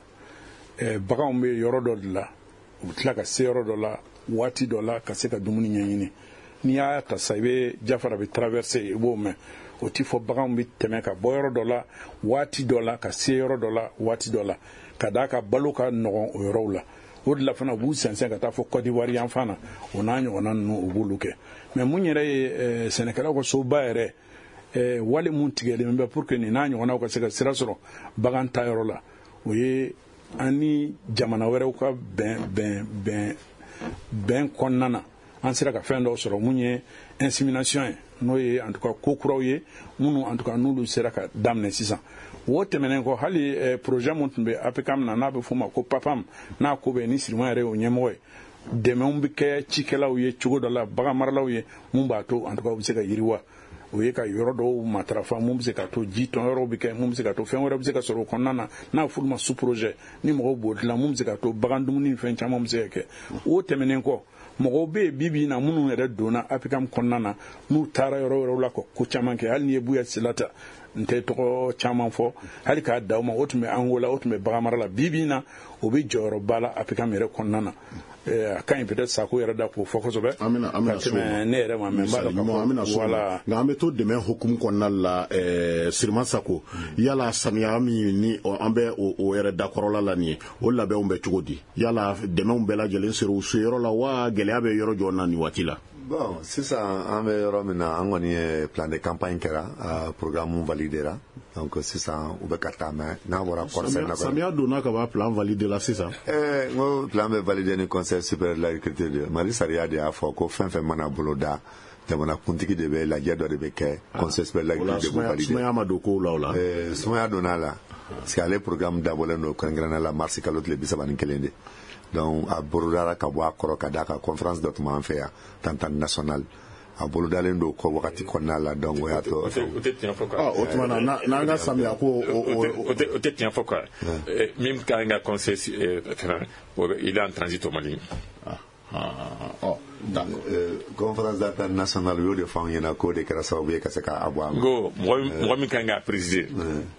baganw bɛ yɔrɔ dɔ de la, u bɛ tila ka se yɔrɔ dɔ la waati dɔ la ka se ka dumuni ɲɛɲini. N'i y'a ta sa, i bɛ Jafara bɛ traverser, i b'o mɛn. O ti fɔ baganw bɛ tɛmɛ ka bɔ yɔrɔ dɔ la waati dɔ la ka se yɔrɔ dɔ la waati dɔ la, ka d'a ka balo ka nɔgɔn o yɔrɔw la. O de la fana, u b'u sɛnsɛn ka taa fɔ Côte d'Ivoire yan fan na, o n'a ɲɔgɔnna ninnu, u b'olu kɛ. Mais mun yɛrɛ ye sɛnɛkɛlaw ka soba yɛrɛ, wale mun tigɛlen bɛ pour que nin n'a ɲɔgɔnnaw ka se ka sira sɔrɔ bagan ta yɔrɔ la, o ye an ni jamana wɛrɛw ka bɛn kɔnɔna na, an sera ka fɛn dɔw sɔrɔ mun ye insémination ye, n'o ye en tout cas ko kuraw ye minnu en tout cas n'olu sera ka daminɛ sisan. O tɛmɛnen kɔ, hali projet mun tun bɛ APCAM na, n'a bɛ f'o ma ko PAPAM, n'a ko bɛ ni Sirima yɛrɛ y'o ɲɛmɔgɔ ye, dɛmɛw bɛ kɛ cikɛlaw ye cogo dɔ la, bagan maralaw ye, mun b'a to en tout cas u bɛ se ka yiriwa. O ye ka yɔrɔ dɔw matarafa mun bɛ se ka to ji tɔn yɔrɔw bɛ kɛ, mun bɛ se ka to fɛn wɛrɛ bɛ se ka sɔrɔ o kɔnɔna na, n'a f'olu ma sous projet, ni mɔgɔw b'o dilan, mun bɛ se ka to bagan dumuni ni fɛn caman bɛ se ka kɛ. O tɛmɛnen kɔ, mɔgɔw bɛ yen bi bi in na minnu yɛrɛ donna APCAM kɔnɔna na, n'u taara yɔrɔ wɛrɛw la ka ko caman kɛ. Hali n'i ye Buya Sila ta, n tɛ tɔgɔ caman fɔ, hali k'a da o ma, o tun bɛ Angola, o tun bɛ bagan mara la. Bi bi in na, o bɛ jɔyɔrɔba la APCAM yɛrɛ kɔnɔna na. A ka ɲi peut-être Sako yɛrɛ da k'o fɔ kosɛbɛ. An bɛna an bɛna ka tɛmɛ ne yɛrɛ ma, mais n b'a dɔn k'a fɔ an bɛna s'o ma. Voilà. Nka an bɛ to dɛmɛ hukumu kɔnɔna la. Sirima Sako, yala samiya min ni an bɛ o yɛrɛ dakɔrɔla la nin ye, o labɛnw bɛ cogo di? Yala dɛmɛw bɛɛ lajɛlen sera u se yɔrɔ la wa, gɛlɛya bɛ yɔrɔ jɔ na nin waati la? Bon, sisan an bɛ yɔrɔ min na, an kɔni ye plan de campagne kɛra, programme validera, donc sisan u bɛ ka taa. Mais n'a bɔra kɔɔri sɛnɛ Samiya donna ka ban, plan validé la sisan. N ko plan bɛ validé ni Conseil supérieur de l'agriculture de Mali. Sariya de y'a fɔ ko fɛn fɛn mana bolo da, jamana kuntigi de bɛ lajɛ dɔ de bɛ kɛ, Conseil supérieur de l'agriculture de b'o validé. Sumaya ma don kow la o la? Sumaya donna la, parce que ale programme dabɔlen don kɛrɛnkɛrɛnnenya la mars kalo tile 31 de. Donc a bolodara ka bɔ a kɔrɔ ka d'a kan conférence dɔ tun b'an fɛ yan, entente nationale, a bolodalen don kɔ wagati kɔnɔna la. Donc o y'a to O tɛ tiɲɛ fɔ quoi. O tuma na, n'an ka samiya ko O tɛ tiɲɛ fɔ quoi. Min ka kan ka conseil fɛnɛ, il est en transit au Mali. Ɔ, d'accord. Conférence d'entente nationale, u y'o de fɔ anw ɲɛna k'o de kɛra sababu ye ka se k'a bɔ a ma. N ko mɔgɔ min kan k'a présider,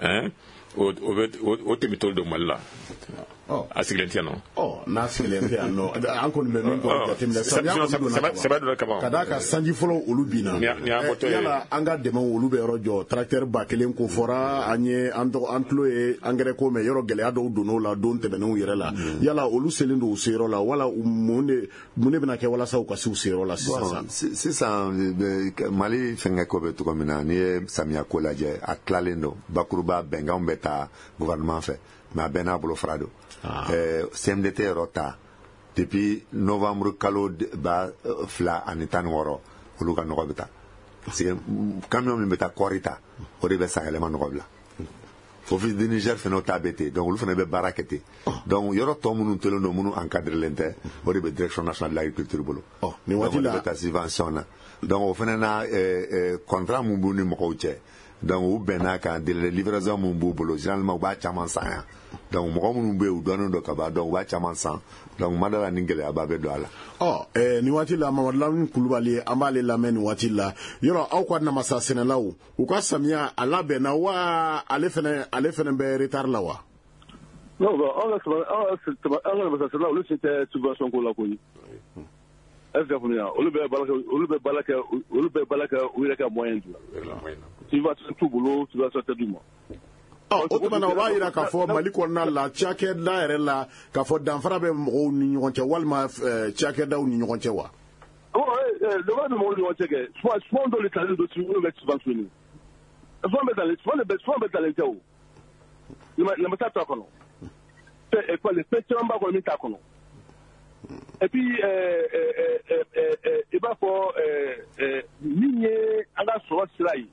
hein, o bɛ o tɛmɛtɔ don Mali la. A sigilen tɛ yan nɔ. Ɔ, n'a sigilen tɛ yan nɔ, an kɔni bɛ min kɔni jateminɛ, samiya kɔni donna ka ban. Sɛbɛ donna ka ban. Ka d'a kan sanji fɔlɔ olu binna. Ni y'an bɔtɔ ye. Yala an ka dɛmɛw olu bɛ yɔrɔ jɔ? Tracteur 1000 ko fɔra an ye, an tɔgɔ an tulo ye engrais ko mɛn, yɔrɔ gɛlɛya dɔw donn'o la don tɛmɛnenw yɛrɛ la. Yala olu selen don u seyɔrɔ la wala mun de bɛna kɛ walasa u ka se u seyɔrɔ la sisan? Sisan Mali fɛnkɛ ko bɛ cogo min na, n'i ye samiya ko lajɛ, a tilalen don bakuruba. Bɛnkanw bɛ taa gouvernement fɛ, mais a bɛɛ n'a bolo fara don. CMDT yɔrɔ ta, depuis novembre kalo 2016, olu ka nɔgɔ bɛ taa, parce que camion min bɛ taa kɔɔri ta, o de bɛ sanyɛlɛma nɔgɔ bila. Office du Niger fana ta bɛ ten, donc olu fana bɛ baara kɛ ten. Donc yɔrɔ tɔ minnu tolen don, minnu encadrelen tɛ, o de bɛ Direction nationale de l'agriculture bolo. Nin waati la bɛ taa subvention na. Donc o fana na, contrat mun b'u ni mɔgɔw cɛ, donc u bɛn'a kan, délai de livraison mun b'u bolo, généralement u b'a caman san yan. Donc mɔgɔ minnu bɛ yen, u dɔnnen don ka ban, donc u b'a caman san. Donc ma da la ni gɛlɛyaba bɛ don a la. Ɔ, nin waati la, Mamadu Lamini Kulubali, an b'ale lamɛn nin waati la. Yɔrɔ aw ka namasa sɛnɛlaw, u ka samiya a labɛnna wa, ale fɛnɛ bɛ retard la wa? Non, bon, an ka namasa sɛnɛlaw, olu si tɛ subvention ko la koyi. Est ce que faamuya? Olu bɛ baara kɛ u yɛrɛ ka moyen de la. Subvention t'u bolo, subvention tɛ d'u ma. Ɔ, o tuma na, o b'a yira k'a fɔ Mali kɔnɔna la, cakɛda yɛrɛ la, k'a fɔ danfara bɛ mɔgɔw ni ɲɔgɔn cɛ walima cakɛdaw ni ɲɔgɔn cɛ wa? Bon, danfara bɛ mɔgɔw ni ɲɔgɔn cɛ kɛ. Souvent dɔw de talen don, minnu bɛ subventionné. Souvent bɛ talen tɛ o. Namasa t'a kɔnɔ. Fɛn caman b'a kɔnɔ min t'a kɔnɔ. Et puis i b'a fɔ min ye an ka sɔrɔ sira ye.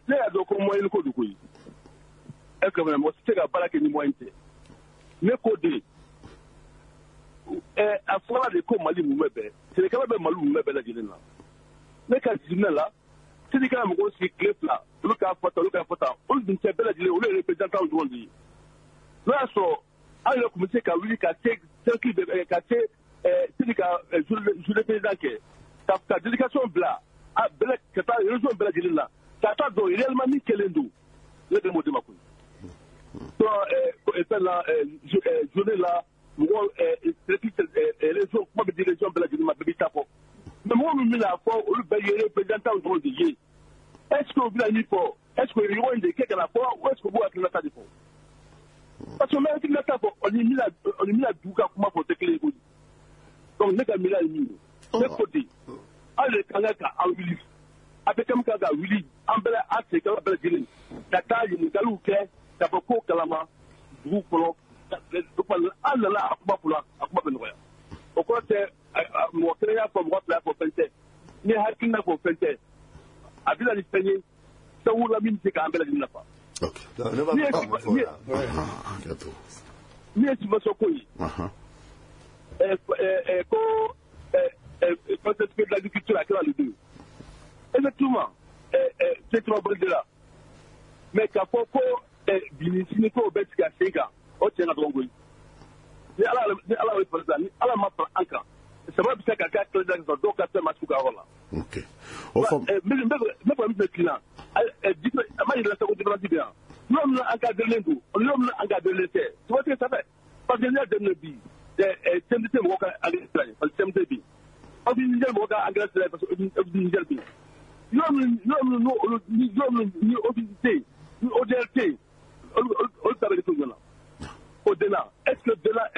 Ne y'a dɔn ko moyen ko don koyi. Est ce que mɔgɔ tɛ se ka baara kɛ ni moyen tɛ? Ne ko de, a fɔra de ko Mali mun bɛɛ, sɛnɛkɛla bɛ Mali mun bɛɛ lajɛlen na. Ne ka jateminɛ la, syndicat mɔgɔw sigi tile 2, olu k'a fɔ tan, olu k'a fɔ tan, olu dun tɛ bɛɛ lajɛlen, olu ye représentant dɔrɔn de ye. N'o y'a sɔrɔ an yɛrɛ tun bɛ se ka wuli ka se cercle de ka se syndicat journée président kɛ, ka délégation bila a bɛɛ ka taa région bɛɛ lajɛlen na, ka taa dɔn réellement min kɛlen don. Ne bɛ m'o de ma koyi. Donc fɛn la, journée la, mɔgɔ cercle région, kuma bɛ di région bɛɛ lajɛlen ma, bɛɛ b'i ta fɔ. Mais mɔgɔ min bɛna fɔ, olu bɛɛ ye représentant dɔrɔn de ye. Est ce que u bɛna min fɔ, est ce que ɲɔgɔn in de kɛ ka na fɔ, ou est ce que u b'u hakilinata de fɔ? Parce que n bɛ hakilinata fɔ, o ni bɛna dugu ka kuma fɔ, o tɛ kelen ye koyi. Donc ne ka miiriya ye min ye, ne ko ten, aw de kan ka an wuli, a bɛ kɛ kan ka wuli, an bɛɛ, an sɛnɛkɛla bɛɛ lajɛlen, ka taa ɲininkaliw kɛ, ka fɔ ko kalama dugu kɔnɔ. An nana a kuma fɔla, a kuma bɛ nɔgɔya. O kɔrɔ tɛ mɔgɔ kelen y'a fɔ, mɔgɔ fila y'a fɔ, fɛn tɛ. Ni hakilina fɔ, fɛn tɛ. A bɛ na ni fɛn ye sabu la min bɛ se k'an bɛɛ lajɛlen nafa. Ne b'a fɛ ka mun fɔ o la? Min ye subvention ko ye, ko conseil de l'agriculture a kɛra le deux, effectivement, c'est caman bɔlen de la. Mais k'a fɔ ko bi ni sini ko bɛ sigi a sen kan, o tiɲɛ ka dɔgɔn koyi. Ni Ala ye fara, ni Ala ma fara an kan, saba bɛ se ka kɛ kɛlɛ da dɔw ka fɛn ma su ka yɔrɔ la. Ok, o faamu. N bɛ fɛ min fɛ kila, a ma yira ko différence bɛ yan. Yɔrɔ min na encadré don, yɔrɔ min na encadré tɛ, tu vois ce que ça fait? Parce que n'i y'a daminɛ bi, CMDT mɔgɔw ka engrais sira ye, parce que CMDT bɛ yen. Office Niger mɔgɔw ka engrais sira ye, parce que Office Niger bɛ yen. Yɔrɔ min n'olu ni yɔrɔ min ni office tɛ yen, ni ODR tɛ yen, olu ta bɛ kɛ cogo jumɛn na? O de la, est ce que de la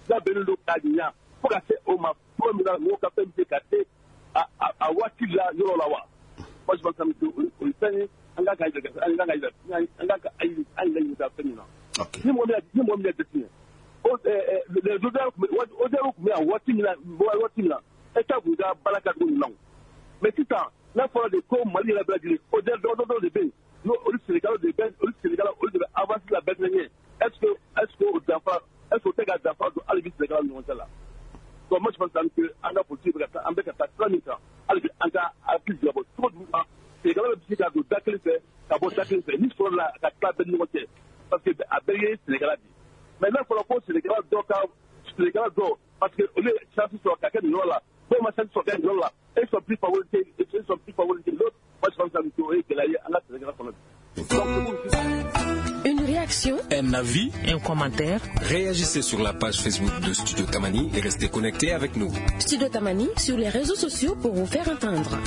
labɛnnen don k'a ɲa fo ka se o ma cogo min na, mɔgɔw ka fɛn bɛ se ka se a waati la yɔrɔ la wa? Moi, je pense que o ye fɛn ye an ka an yɛrɛ ɲininka fɛn min na. Ni mɔgɔ min y'a jateminɛ, o les ODR tun bɛ yan waati min na, État tun ka baara kɛ cogo ɲuman. Mais sisan, n'a fɔra de ko Mali yɛrɛ bɛɛ lajɛlen, ODR dɔw de bɛ yen, n'o olu sɛnɛkɛlaw de bɛ, olu sɛnɛkɛlaw, olu de bɛ avance la bɛɛ ɲɛ. Est ce que o danfara, est ce que o tɛ ka danfara don hali bi sɛnɛkɛlaw ni ɲɔgɔn cɛ la? Donc moi, je pense que an ka politique bɛ ka taa, an bɛ ka taa sira min kan, hali bi an ka hakili jagabɔ cogo jumɛn na sɛnɛkɛlaw bɛ se ka don da kelen fɛ ka bɔ da kelen fɛ ni sɔrɔ la ka tila bɛɛ ni ɲɔgɔn cɛ, parce que a bɛɛ ye sɛnɛkɛla de ye. Mais n'a fɔra ko sɛnɛkɛla dɔ ka sɛnɛkɛla dɔ, parce que olu ye chance sɔrɔ ka kɛ nin yɔrɔ la, dɔw ma chance sɔrɔ ka kɛ nin yɔrɔ la, ils sont plus favorisés, ils sont plus favorisés l'autre. Moi, je pense que o ye gɛlɛya ye an ka sɛnɛkɛla kɔnɔ bi. Une réaction? Un avis? Un commentaire? Réagissez sur la page Facebook de Studio Tamani et restez connectés avec nous. Studio Tamani sur les réseaux sociaux pour vous faire entendre.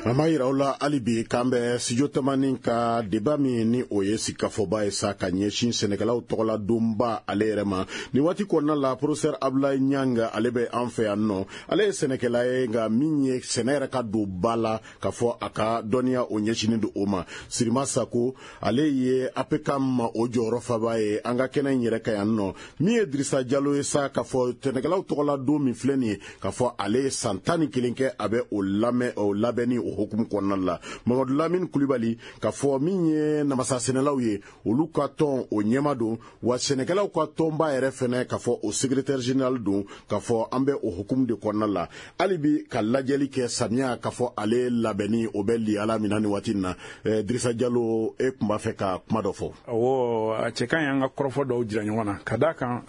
An b'a yira aw la hali bi k'an bɛ Studio Tamani ka débat min ni o ye sigikafɔba ye sa, ka ɲɛsin sɛnɛkɛlaw tɔgɔla donba ale yɛrɛ ma. Nin waati kɔnɔna la, professeur Abdoulaye Niang, ale bɛ an fɛ yan nɔ. Ale ye sɛnɛkɛla ye, nka min ye sɛnɛ yɛrɛ ka don ba la, k'a fɔ a ka dɔnniya o ɲɛsinnen don o ma. Sirima Sako, ale ye APCAM o jɔyɔrɔ faba ye an ka kɛnɛ in yɛrɛ kan yan nɔ. Min ye Dirisa Jalo ye sa, k'a fɔ sɛnɛkɛlaw tɔgɔla don min filɛ nin ye, k'a fɔ ale ye san 11 kɛ a bɛ o lamɛn, o labɛnni o hukumu kɔnɔna la. Mamadu Lamini Kulibali, k'a fɔ min ye namasa sɛnɛlaw ye, olu ka tɔn o ɲɛma don, wa sɛnɛkɛlaw ka tɔnba yɛrɛ fɛnɛ, k'a fɔ o secrétaire général don. K'a fɔ an bɛ o hukumu de kɔnɔna la hali bi ka lajɛli kɛ samiya, k'a fɔ ale labɛnni o bɛ liyala min na nin waati in na. Dirisa Jalo, e tun b'a fɛ ka kuma dɔ fɔ. Awɔ, a cɛ ka ɲi an ka kɔrɔfɔ dɔw jira ɲɔgɔn na, ka d'a kan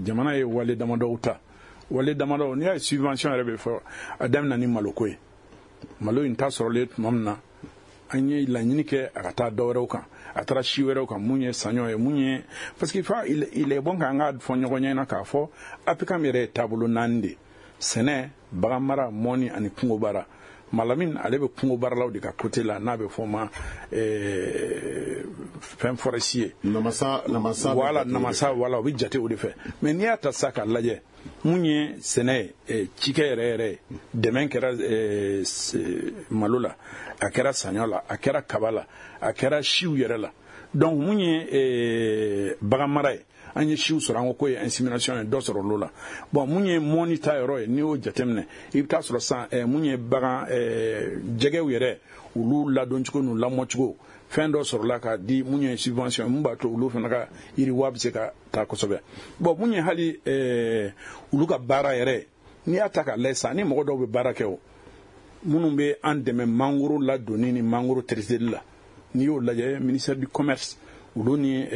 jamana ye wale damadɔw ta, wale damadɔ. N'i y'a ye subvention yɛrɛ bɛ fɔ, a daminɛ ni maloko ye. Malo in ta sɔrɔlen tuma min na, an ye laɲini kɛ a ka taa dɔ wɛrɛw kan, a taara si wɛrɛw kan, mun ye saɲɔ ye, mun ye, parce que fa il est bon k'an ka fɔ ɲɔgɔn ɲɛna k'a fɔ APCAM yɛrɛ ye taabolo naani de: sɛnɛ, baganmara, mɔni ani kungo baara. Malamin, ale bɛ kungo baaralaw de ka côté la, n'a bɛ fɔ o ma fɛn forestier. Namasa, namasa. Voilà, namasa, voilà, o bɛ jate o de fɛ. Mais n'i y'a ta sisan k'a lajɛ, mun ye sɛnɛ ye, cikɛ yɛrɛ yɛrɛ ye, dɛmɛ kɛra malo la, a kɛra saɲɔ la, a kɛra kaba la, a kɛra siw yɛrɛ la. Donc mun ye bagan mara ye, an ye siw sɔrɔ, an ko ye insémination ye, dɔ sɔrɔ olu la. Bon, mun ye mɔni ta yɔrɔ ye, n'i y'o jateminɛ, i bɛ taa sɔrɔ sisan mun ye bagan jɛgɛw yɛrɛ, olu ladoncogo n'u lamɔcogo, fɛn dɔ sɔrɔla k'a di mun ye subvention, mun b'a to olu fana ka yiriwa bɛ se ka taa kosɛbɛ. Bon, mun ye hali olu ka baara yɛrɛ, n'i y'a ta k'a lajɛ sisan, ni mɔgɔ dɔw bɛ baara kɛ, o minnu bɛ an dɛmɛ mangoro ladonni ni mangoro traiteli la, n'i y'o lajɛ, ministère du Commerce, olu ni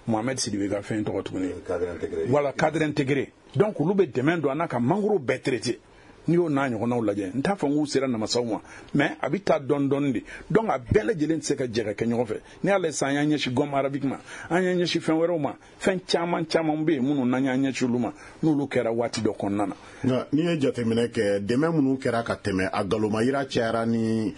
Mohamed Sidibe ka fɛn tɔgɔ tuguni, voilà, cadre intégré. Donc olu bɛ dɛmɛ don an na ka mangoro bɛɛ traité. N'i y'o n'a ɲɔgɔnnaw lajɛ, n t'a fɔ n k'u sera namasaw ma, mais a bɛ taa dɔɔni dɔɔni de. Donc a bɛɛ lajɛlen tɛ se ka jɛ ka kɛ ɲɔgɔn fɛ. N'i y'a lajɛ sisan, an y'an ɲɛsin gomme arabique ma, an y'an ɲɛsin fɛn wɛrɛw ma, fɛn caman caman bɛ yen minnu n'an y'an ɲɛsin olu ma, n'olu kɛra waati dɔ kɔnɔna na. Nka n'i ye jateminɛ kɛ, dɛmɛ minnu kɛra ka tɛmɛ, a galomayira cayara ni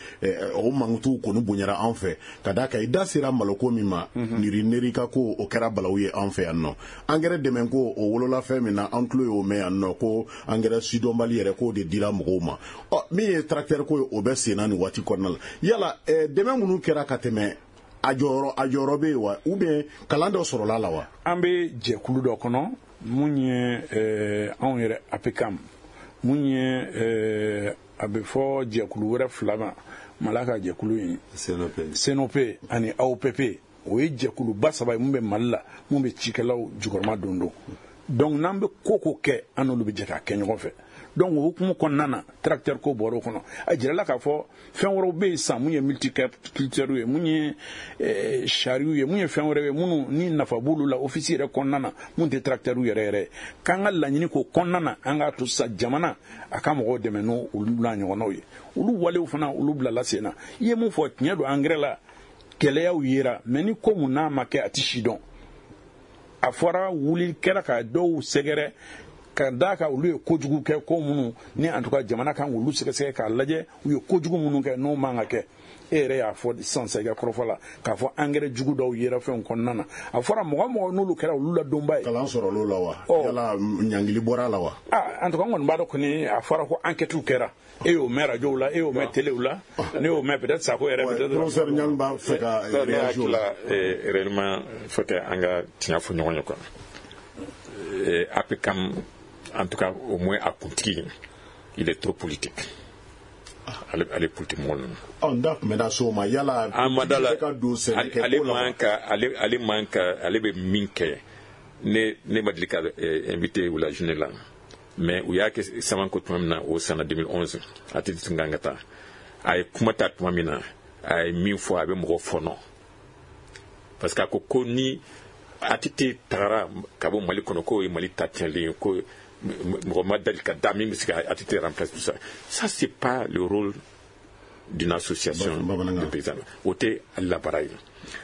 o mankutuw kɔni bonyara an fɛ, ka d'a kan i da sera maloko min ma, niri neri ka ko o kɛra balawu ye an fɛ yan nɔ. Angɛrɛ dɛmɛ ko o wolola fɛn min na, an tulo y'o mɛn yan nɔ ko angɛrɛ sidɔnbali yɛrɛ k'o de dira mɔgɔw ma. Ɔ, min ye tracteur ko ye, o bɛ sen na nin waati kɔnɔna la. Yala dɛmɛ minnu kɛra ka tɛmɛ, a jɔyɔrɔ bɛ yen wa, ou bien kalan dɔ sɔrɔla la wa? An bɛ jɛkulu dɔ kɔnɔ, mun ye anw yɛrɛ APCAM, mun ye a bɛ fɔ jɛkulu wɛrɛ fila ma, Mala ka jɛkulu in, CNOP ani AOPP. O ye jɛkuluba saba ye mun bɛ Mali la, mun bɛ cikɛlaw jukɔrɔma don don. Donc n'an bɛ ko ko kɛ, an n'olu bɛ jɛ k'a kɛ ɲɔgɔn fɛ. Donc o hukumu kɔnɔna na, tracteur ko bɔra o kɔnɔ, a jirala k'a fɔ fɛn wɛrɛw bɛ yen sisan, mun ye multiculture ye, mun ye chariot ye, mun ye fɛn wɛrɛ ye minnu ni nafa b'olu la office yɛrɛ kɔnɔna na, mun tɛ tracteur yɛrɛ yɛrɛ ye. K'an ka laɲini k'o kɔnɔna na, an k'a to sisan jamana a ka mɔgɔw dɛmɛ n'o olu n'a ɲɔgɔnnaw ye. Olu walew fana, olu bilala sen na. I ye mun fɔ, tiɲɛ don, engrais la gɛlɛyaw yera, mais ni ko mun n'a ma kɛ, a tɛ si dɔn. A fɔra wuli kɛra ka dɔw sɛgɛrɛ, ka d'a kan olu ye kojugu kɛ, ko minnu ni en tout cas jamana kan k'olu sɛgɛsɛgɛ k'a lajɛ, u ye kojugu minnu kɛ n'o man ka kɛ. E yɛrɛ y'a fɔ sisan sisan i ka kɔrɔfɔ la k'a fɔ engrais jugu dɔw yera fɛnw kɔnɔna na. A fɔra mɔgɔ mɔgɔ n'olu kɛra olu la donba ye. Kalan sɔrɔla o la wa? Yala ɲangili bɔra a la wa? Ah, en tout cas, n kɔni b'a dɔn kɔni, a fɔra ko enquête kɛra. E y'o mɛn radio la, e y'o mɛn télé la, ne y'o mɛn peut-être Sako yɛrɛ peut-être. Professeur Niang b'a fɛ ka réagir o la. Réellement, il faut que an ka tiɲɛ fɔ ɲɔgɔn ye quoi. APCAM, en tout cas au moins a kuntigi, il est trop politique. Ale politique mɔgɔ ninnu. Ɔ, n da tun bɛ na s'o ma, yala An ma da la. Ka don sɛnɛkɛ ale ko la wa? Man ka ale man ka ale bɛ min kɛ, ne ma deli ka invité u la journée la, mais u y'a kɛ Samanko tuma min na, o san 2011, a tɛ tun kan ka taa. A ye kuma ta tuma min na, a ye min fɔ, a bɛ mɔgɔ fɔnɔ, parce que a ko ko ni ATT tagara ka bɔ Mali kɔnɔ, k'o ye Mali ta tiɲɛlen ye, ko mɔgɔ ma deli ka da min bɛ se ka ATT remplacer, tout ça. Ça, c'est pas le rôle d'une association de paysans. O tɛ ale la baara ye.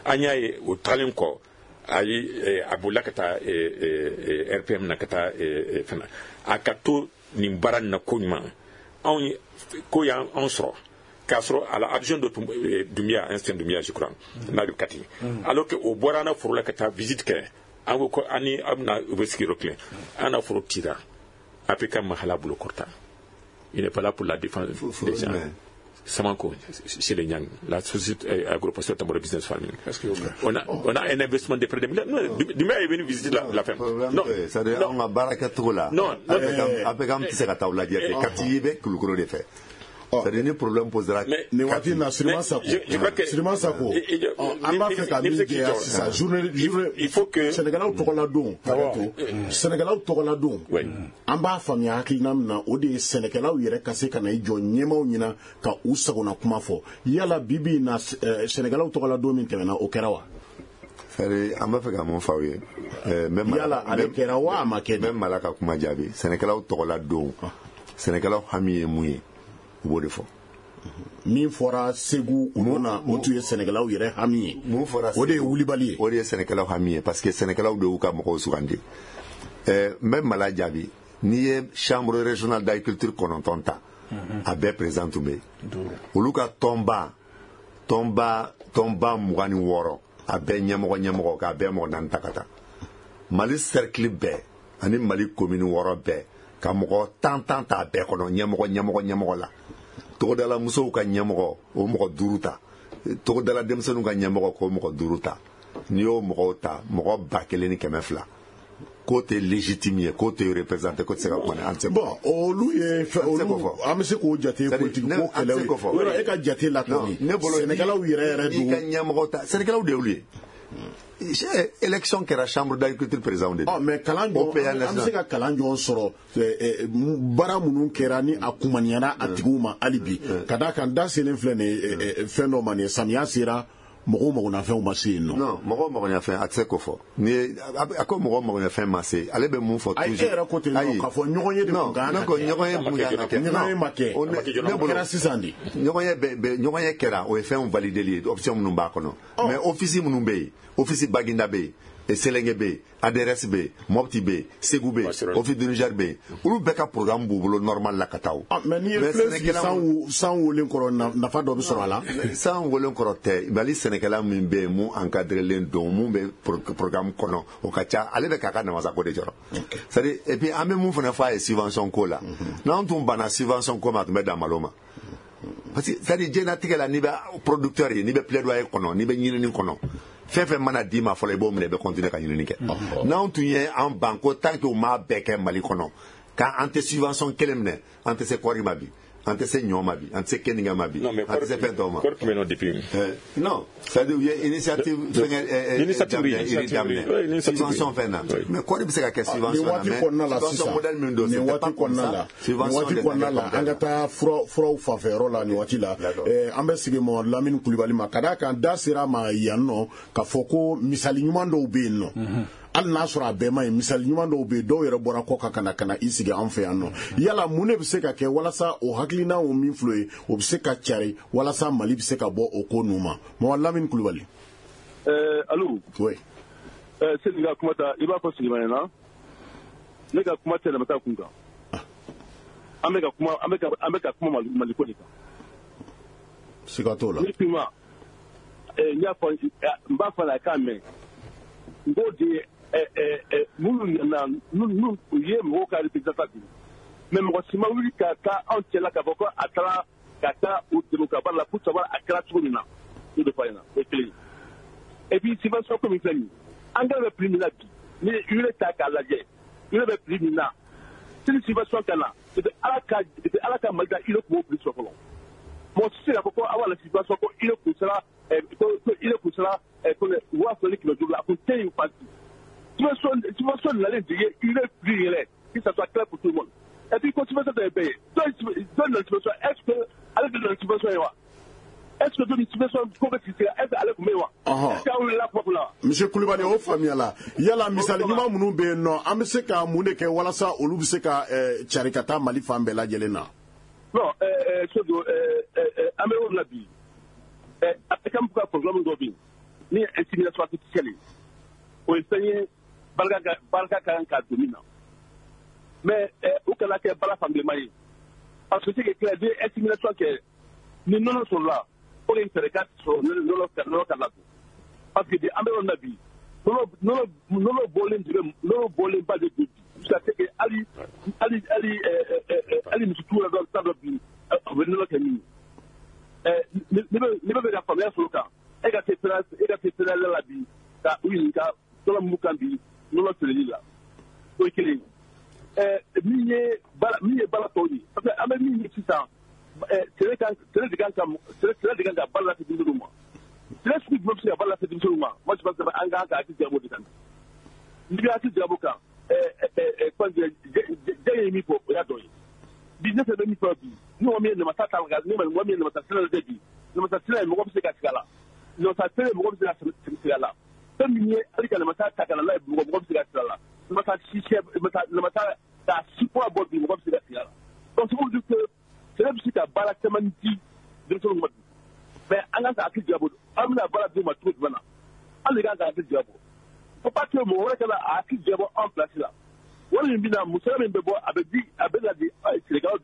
An y'a ye o tagalen kɔ, a ye a bolila ka taa RPM na, ka taa fɛn na. A ka to nin baara nin na ko ɲuman. Anw ye ko y'an sɔrɔ k'a sɔrɔ à la adjoint de Doumbia, ancien Doumbia, je crois, n'a bɛ Kati, alors que o bɔra an na foro la ka taa visite kɛ, an ko an ni an bɛna u bɛ sigi yɔrɔ kelen, an na foro cira. APK Mahala bolo kɔrɔta, il n'est pas là pour la défense des gens. Samanko, chez les Nyang, la société agro-pastorale Tambora Business Farming. On a un investissement de près de milliards. Non, Doumbia est venu visiter la ferme. Non, c'est-à-dire on a baara kɛcogo la. Non, APK tɛ se ka taa o lajɛ kɛ Kati bɛ Kulukoro de fɛ. C'est-à-dire ni problème posera. Nin waati in na, Siriman Sako, Siriman Sako, an b'a fɛ ka min jɛya sisan, journée il faut que sɛnɛkɛlaw tɔgɔla don, hakɛ to, sɛnɛkɛlaw tɔgɔla don, an b'a faamuya hakilina min na, o de ye sɛnɛkɛlaw yɛrɛ ka se ka na i jɔ ɲɛmaaw ɲɛna ka u sagona kuma fɔ. Yala bi bi in na, sɛnɛkɛlaw tɔgɔla don min tɛmɛna, o kɛra wa? C'est-à-dire an b'a fɛ ka mun f'aw ye? Yala ale kɛra wa, a ma kɛ? N bɛ Mala ka kuma jaabi. Sɛnɛkɛlaw tɔgɔla don, sɛnɛkɛlaw hami ye mun ye, u b'o de fɔ. Min fɔra Segu olu na, o tun ye sɛnɛkɛlaw yɛrɛ hami ye. Mun fɔra? O de ye wulibali ye. O de ye sɛnɛkɛlaw hami ye, parce que sɛnɛkɛlaw de y'u ka mɔgɔw sugandi. N bɛ Mala jaabi. N'i ye chambre régionale d'agriculture 9 ta, a bɛɛ président tun bɛ yen. Olu ka tɔnba 26, a bɛɛ ɲɛmɔgɔ k'a bɛɛ mɔgɔ 4 ta ka taa Mali cercle bɛɛ ani Mali commune 6 bɛɛ, ka mɔgɔ 10 10 ta bɛɛ kɔnɔ, ɲɛmɔgɔ la. Togodala musow ka ɲɛmɔgɔ, o mɔgɔ 5 ta. Togodala denmisɛnninw ka ɲɛmɔgɔ, k'o mɔgɔ 5 ta. N'i y'o mɔgɔw ta, mɔgɔ 1200, k'o tɛ légitime ye, k'o tɛ représenté, k'o tɛ se ka kuma, an tɛ se. Bon, olu ye fɛn, olu an bɛ se k'o jate politique ko kɛlɛw ye. Yɔrɔ e ka jate la kɔni, sɛnɛkɛlaw yɛrɛ yɛrɛ don. I ka ɲɛmɔgɔ ta, sɛnɛkɛlaw de y'olu ye. Élection kɛra, chambre d'agriculture président de. Ɔ mais kalan jɔn, an bɛ se ka kalan jɔn sɔrɔ baara minnu kɛra ni a kumaniyara a tigiw ma hali bi, ka d'a kan da selen filɛ nin ye fɛn dɔ ma, nin ye samiya sera, mɔgɔw magonafɛnw ma se yen nɔ. Non, mɔgɔw magoɲafɛn, a tɛ se k'o fɔ. Ni ye a ko mɔgɔw magoɲafɛn ma se, ale bɛ mun fɔ toujours? Ayi, e yɛrɛ ko ten nɔ k'a fɔ ɲɔgɔn ye de kun kan ka kɛ. Ne ko ɲɔgɔn ye kun kan ka kɛ. Ɲɔgɔn ye ma kɛ. O kɛra sisan de. Ɲɔgɔn ye kɛra, o ye fɛnw valideli ye, option minnu b'a kɔnɔ. Mais office minnu bɛ yen, office Baginda bɛ yen, Selenge bɛ yen, ADRS bɛ yen, Mopti bɛ yen, Segu bɛ yen, office du Niger bɛ yen, olu bɛɛ ka programme b'u bolo normal la ka taa o. Mais n'i ye filen sigi san wolen kɔrɔ, nafa dɔ bɛ sɔrɔ a la. San wolen kɔrɔ tɛ. Mali sɛnɛkɛla min bɛ yen, mun encadrelen don, mun bɛ programme kɔnɔ, o ka ca, ale bɛ k'a ka namasako de jɔrɔ. C'est à dire, et puis an bɛ mun fana fɔ a ye subvention ko la, n'an tun banna subvention ko ma, a tun bɛ dan malo ma. Parce que c'est à dire diɲɛlatigɛ la, n'i bɛ producteur ye, n'i bɛ plaidoyer kɔnɔ, n'i bɛ ɲinini kɔnɔ, fɛn fɛn mana d'i ma fɔlɔ, i b'o minɛ, i bɛ continuer ka ɲinini kɛ. N'anw tun ye an ban ko tant que u m'a bɛɛ kɛ Mali kɔnɔ, k'an tɛ subvention kelen minɛ, an tɛ se kɔɔri ma bi, an tɛ se ɲɔ ma bi, an tɛ se keninge ma bi, an tɛ se fɛn tɔw ma. Kɔɔri tun bɛ yen nɔ depuis. Non, c'est à dire u ye initiative fɛngɛ daminɛ subvention fɛn na, mais kɔɔri bɛ se ka kɛ subvention na, mais subvention modèle min don, nin waati kɔnɔna la, nin waati kɔnɔna la, an ka taa furaw fanfɛyɔrɔ la nin waati la. An bɛ sigi Mamadu Lamini Kulibali ma, ka d'a kan da sera a ma yan nɔ k'a fɔ ko misali ɲuman dɔw bɛ yen nɔ. Hali n'a sɔrɔ a bɛɛ ma ɲi, misali ɲuman dɔw bɛ yen, dɔw yɛrɛ bɔra kɔ kan ka na i sigi an fɛ yan nɔ. Yala mun de bɛ se ka kɛ walasa o hakilina o min filɛ ye, o bɛ se ka cari walasa Mali bɛ se ka bɔ o ko ninnu ma? Mamadu Lamini Kulibali. Allo. Oui. Seli ka kuma ta, i b'a fɔ Siliman ɲɛna, ne ka kuma tɛ namasa kun kan. An bɛ ka kuma, an bɛ ka kuma Mali ko de kan. Siga t'o la. Ni kuma, n y'a fɔ, n b'a fɔ la k'a mɛn. N k'o de ye minnu nana, minnu u ye mɔgɔw ka représentant bi, mais mɔgɔ si ma wuli ka taa anw cɛla k'a fɔ ko a taara ka taa u dɛmɛ ka baara la pour savoir a kɛra cogo min na. O de fɔ a ɲɛna, o ye kelen ye. Et puis subvention ko min filɛ nin ye, engrais bɛ prix min na bi, ni ye urée ta k'a lajɛ, urée bɛ prix min na, sini subvention ka na, depuis Ala ka Mali da, urée tun b'o prix sɔrɔ fɔlɔ. Mɔgɔ si tɛ se k'a fɔ ko aw b'a la subvention ko urée kun sera ko urée kun sera ko 2500 la, a kun tɛ yen fan si. Subvention nalen de ye urée prix yɛlɛ, que ça soit clair pour tout le monde. Et puis ko subvention tɛ bɛɛ ye, dɔ nana subvention, est ce que ale de nana subvention ye wa? Est ce que don subvention ko bɛ sigi sen kan, est ce que ale tun bɛ yen wa? Est ce que aw wulila kuma kunna wa? Monsieur Kulibali, o faamuyala. Yala misali ɲuman minnu bɛ yen nɔ, an bɛ se ka mun de kɛ walasa olu bɛ se ka cari ka taa Mali fan bɛɛ lajɛlen na? Non, Sodo, an bɛ yɔrɔ min na bi, APCAM ka programme dɔ bɛ yen min ye insémination artificielle ye, o ye fɛn ye barika ka kan ka don min na, mais u kana kɛ baara fankelenma ye. Parce que c'est que clair estimation kɛ ni nɔnɔ sɔrɔla, o de ye fɛɛrɛ ka sɔrɔ nɔnɔ ka ladon, parce que an bɛ yɔrɔ min na bi, nɔnɔ bɔlen de bɛ, nɔnɔ bɔlen ba de don bi, jusqu'à ce que hali misitigiw yɛrɛ dɔ t'a dɔn bi u bɛ nɔnɔ kɛ min ye. Ne bɛ fɛ ka faamuya sɔrɔ o kan. E ka se fédéral la bi ka u ɲininka tɔnɔ mun kan bi nɔnɔ feereli la, o ye kelen ye. Min ye baara tɔw ye, parce que an bɛ min ye sisan, sɛnɛ de kan ka baara lase denmisɛnninw ma. Sɛnɛ sugu jumɛn bɛ se ka baara lase denmisɛnninw ma? Moi, je pense que an kan ka hakili jagabɔ o de kan. N'i bɛ hakili jagabɔ kan, jɛ ye min fɔ, o y'a dɔ ye. Bi ne fɛ bɛ min fɔ bi, ni mɔgɔ min ye namasa ta, ni mɔgɔ min ye namasa sɛnɛ lajɛ bi, namasa sɛnɛ mɔgɔ bɛ se ka sigi a la, namasa feere mɔgɔ bɛ se ka sigi a la. Fɛn min ye hali ka namasa ta ka na n'a ye, mɔgɔ bɛ se ka sigi a la. Namasa si namasa k'a si kura bɔ bi, mɔgɔ bɛ se ka sigi a la. Donc c'est pour dire que sɛnɛ bɛ se ka baara caman di denmisɛnninw ma bi, mais an kan ka hakili jagabɔ an bɛna baara d'u ma cogo jumɛn na. An de kan ka hakili jagabɔ. Faut pas que mɔgɔ wɛrɛ ka na a hakili jagabɔ an place la. Wari min bɛ na, musaka min bɛ bɔ, a bɛ di, a bɛ na di sɛnɛkɛlaw,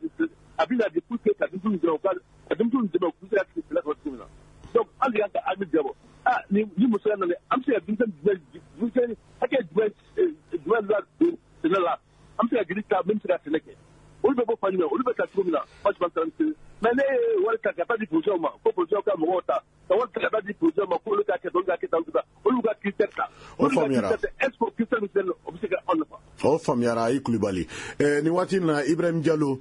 a bɛ na di pour que ka denmisɛnninw dɛmɛ, u ka denmisɛnninw dɛmɛ u bɛ se ka sɛnɛ sɔrɔ cogo min na. Donc an de kan ka hakili jagabɔ, ah, ni musaka nana, an bɛ se ka denmisɛnnin jumɛn, denmisɛnnin hakɛ jumɛn la don sɛnɛ la, an bɛ se ka joli ta min bɛ se ka sɛnɛ kɛ, olu bɛ bɔ fan jumɛn, olu bɛ ta cogo min na. Moi, je pense que, mais ne ye wari ta ka taa di producteurs ma ko producteurs ka mɔgɔw ta, ka wari ta ka taa di producteurs ma k'olu ka kɛ tan, olu ka kɛ tan, olu ka critère ta. O faamuyara. Est ce que o critère bɛ se, o bɛ se ka anw nafa? O faamuyara, i Kulibali. Nin waati in na, Ibrahim Jalo,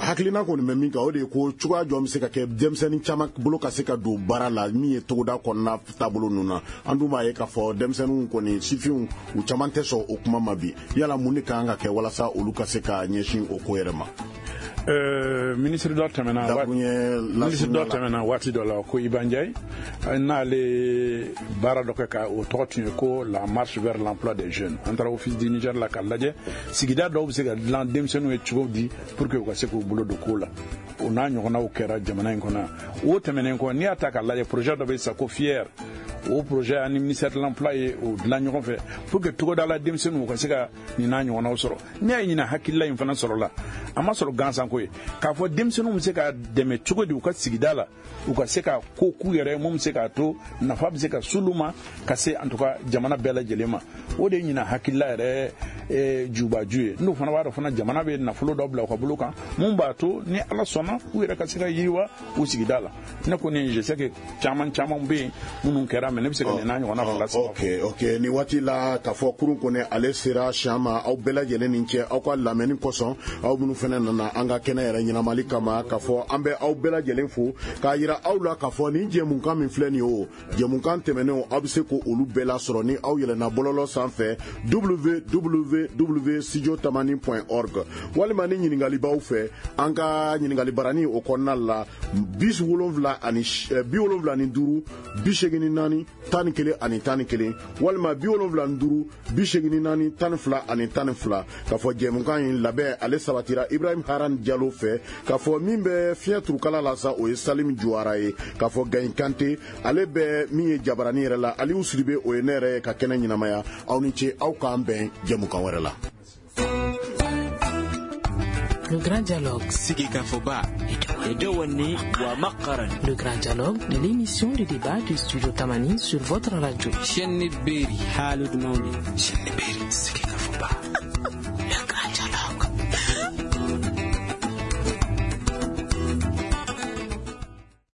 hakilina kɔni bɛ min kan, o de ye ko cogoya jɔn bɛ se ka kɛ denmisɛnnin caman bolo ka se ka don baara la, min ye togoda kɔnɔna taabolo ninnu na. An dun b'a ye k'a fɔ denmisɛnninw kɔni, sifinw, u caman tɛ sɔn o kuma ma bi. Yala mun de kan ka kɛ walasa olu ka se ka ɲɛsin o ko yɛrɛ ma? Ministre dɔ tɛmɛna, ministre dɔ tɛmɛna waati dɔ la ko Iba Ndiaye, n'ale baara dɔ kɛ ka o tɔgɔ tun ye ko la marche vers l'emploi des jeunes. An taara Office du Niger la k'a lajɛ sigida dɔw bɛ se ka dilan denmisɛnninw ye cogo di pour que u ka se k'u bolo don ko la. O n'a ɲɔgɔnnaw kɛra jamana in kɔnɔ yan. O tɛmɛnen kɔ, n'i y'a ta k'a lajɛ, projet dɔ bɛ yen sisan ko FIER. O projet ani ministère de l'Emploi ye o dilan ɲɔgɔn fɛ pour que togoda la denmisɛnninw ka se ka nin n'a ɲɔgɔnnaw sɔrɔ. N'i y'a ɲina, hakilila in fana sɔrɔla, a ma sɔrɔ gansan ko ye k'a fɔ denmisɛnninw bɛ se ka dɛmɛ cogo di u ka sigida la, u ka se ka ko k'u yɛrɛ ye mun bɛ se k'a to nafa bɛ se ka s'olu ma, ka se en tout cas jamana bɛɛ lajɛlen ma. O de ye ɲina hakilila yɛrɛ jubaju ye. N'o fana b'a dɔn fana, jamana bɛ nafolo dɔ bila u ka bolo kan mun b'a to ni Ala sɔnna, u yɛrɛ ka se ka yiriwa u sigida la. Ne kɔni, je sais que caman caman bɛ yen minnu kɛra, mais ne bɛ se ka nin n'a ɲɔgɔnna fila saba. Ok, nin waati la, k'a fɔ kurun kɔni ale sera siyan ma. Aw bɛɛ lajɛlen ni cɛ aw ka lamɛnni kosɔn, aw minnu fana nana an ka kɛnɛ yɛrɛ ɲɛnamali kama, k'a fɔ an bɛ aw bɛɛ lajɛlen fo, k'a yira aw la k'a fɔ nin jɛmukan min filɛ nin ye, o jɛmukan tɛmɛnenw, aw bɛ se k'olu bɛɛ lasɔrɔ ni aw yɛlɛnna bɔlɔlɔ sanfɛ www.studiotamani.org, walima ni ɲininkali b'aw fɛ, an ka ɲininkali barani o kɔnɔna la, 75 84 11 11, walima 75 84 12 12. K'a fɔ jɛmukan in labɛn ale sabatira Ibrahim Haran Jalo fɛ, k'a fɔ min bɛ fiɲɛ turukala la sa, o ye Salim Juwara ye, k'a fɔ Gayin Kante ale bɛ min ye jabarani yɛrɛ la, Aliyu Sidibe, o ye ne yɛrɛ ye ka kɛnɛ ɲɛnamaya. Aw ni ce, aw k'an bɛn jɛmukan wɛrɛ la. Le Grand Dialogue. Sigikafɔba ومقرا. Le Grand Dialogue, l'émission de débat du Studio Tamani sur votre radio. Chaîne Beri. Haalude mawni. Chaîne Beri. Sigikafɔba.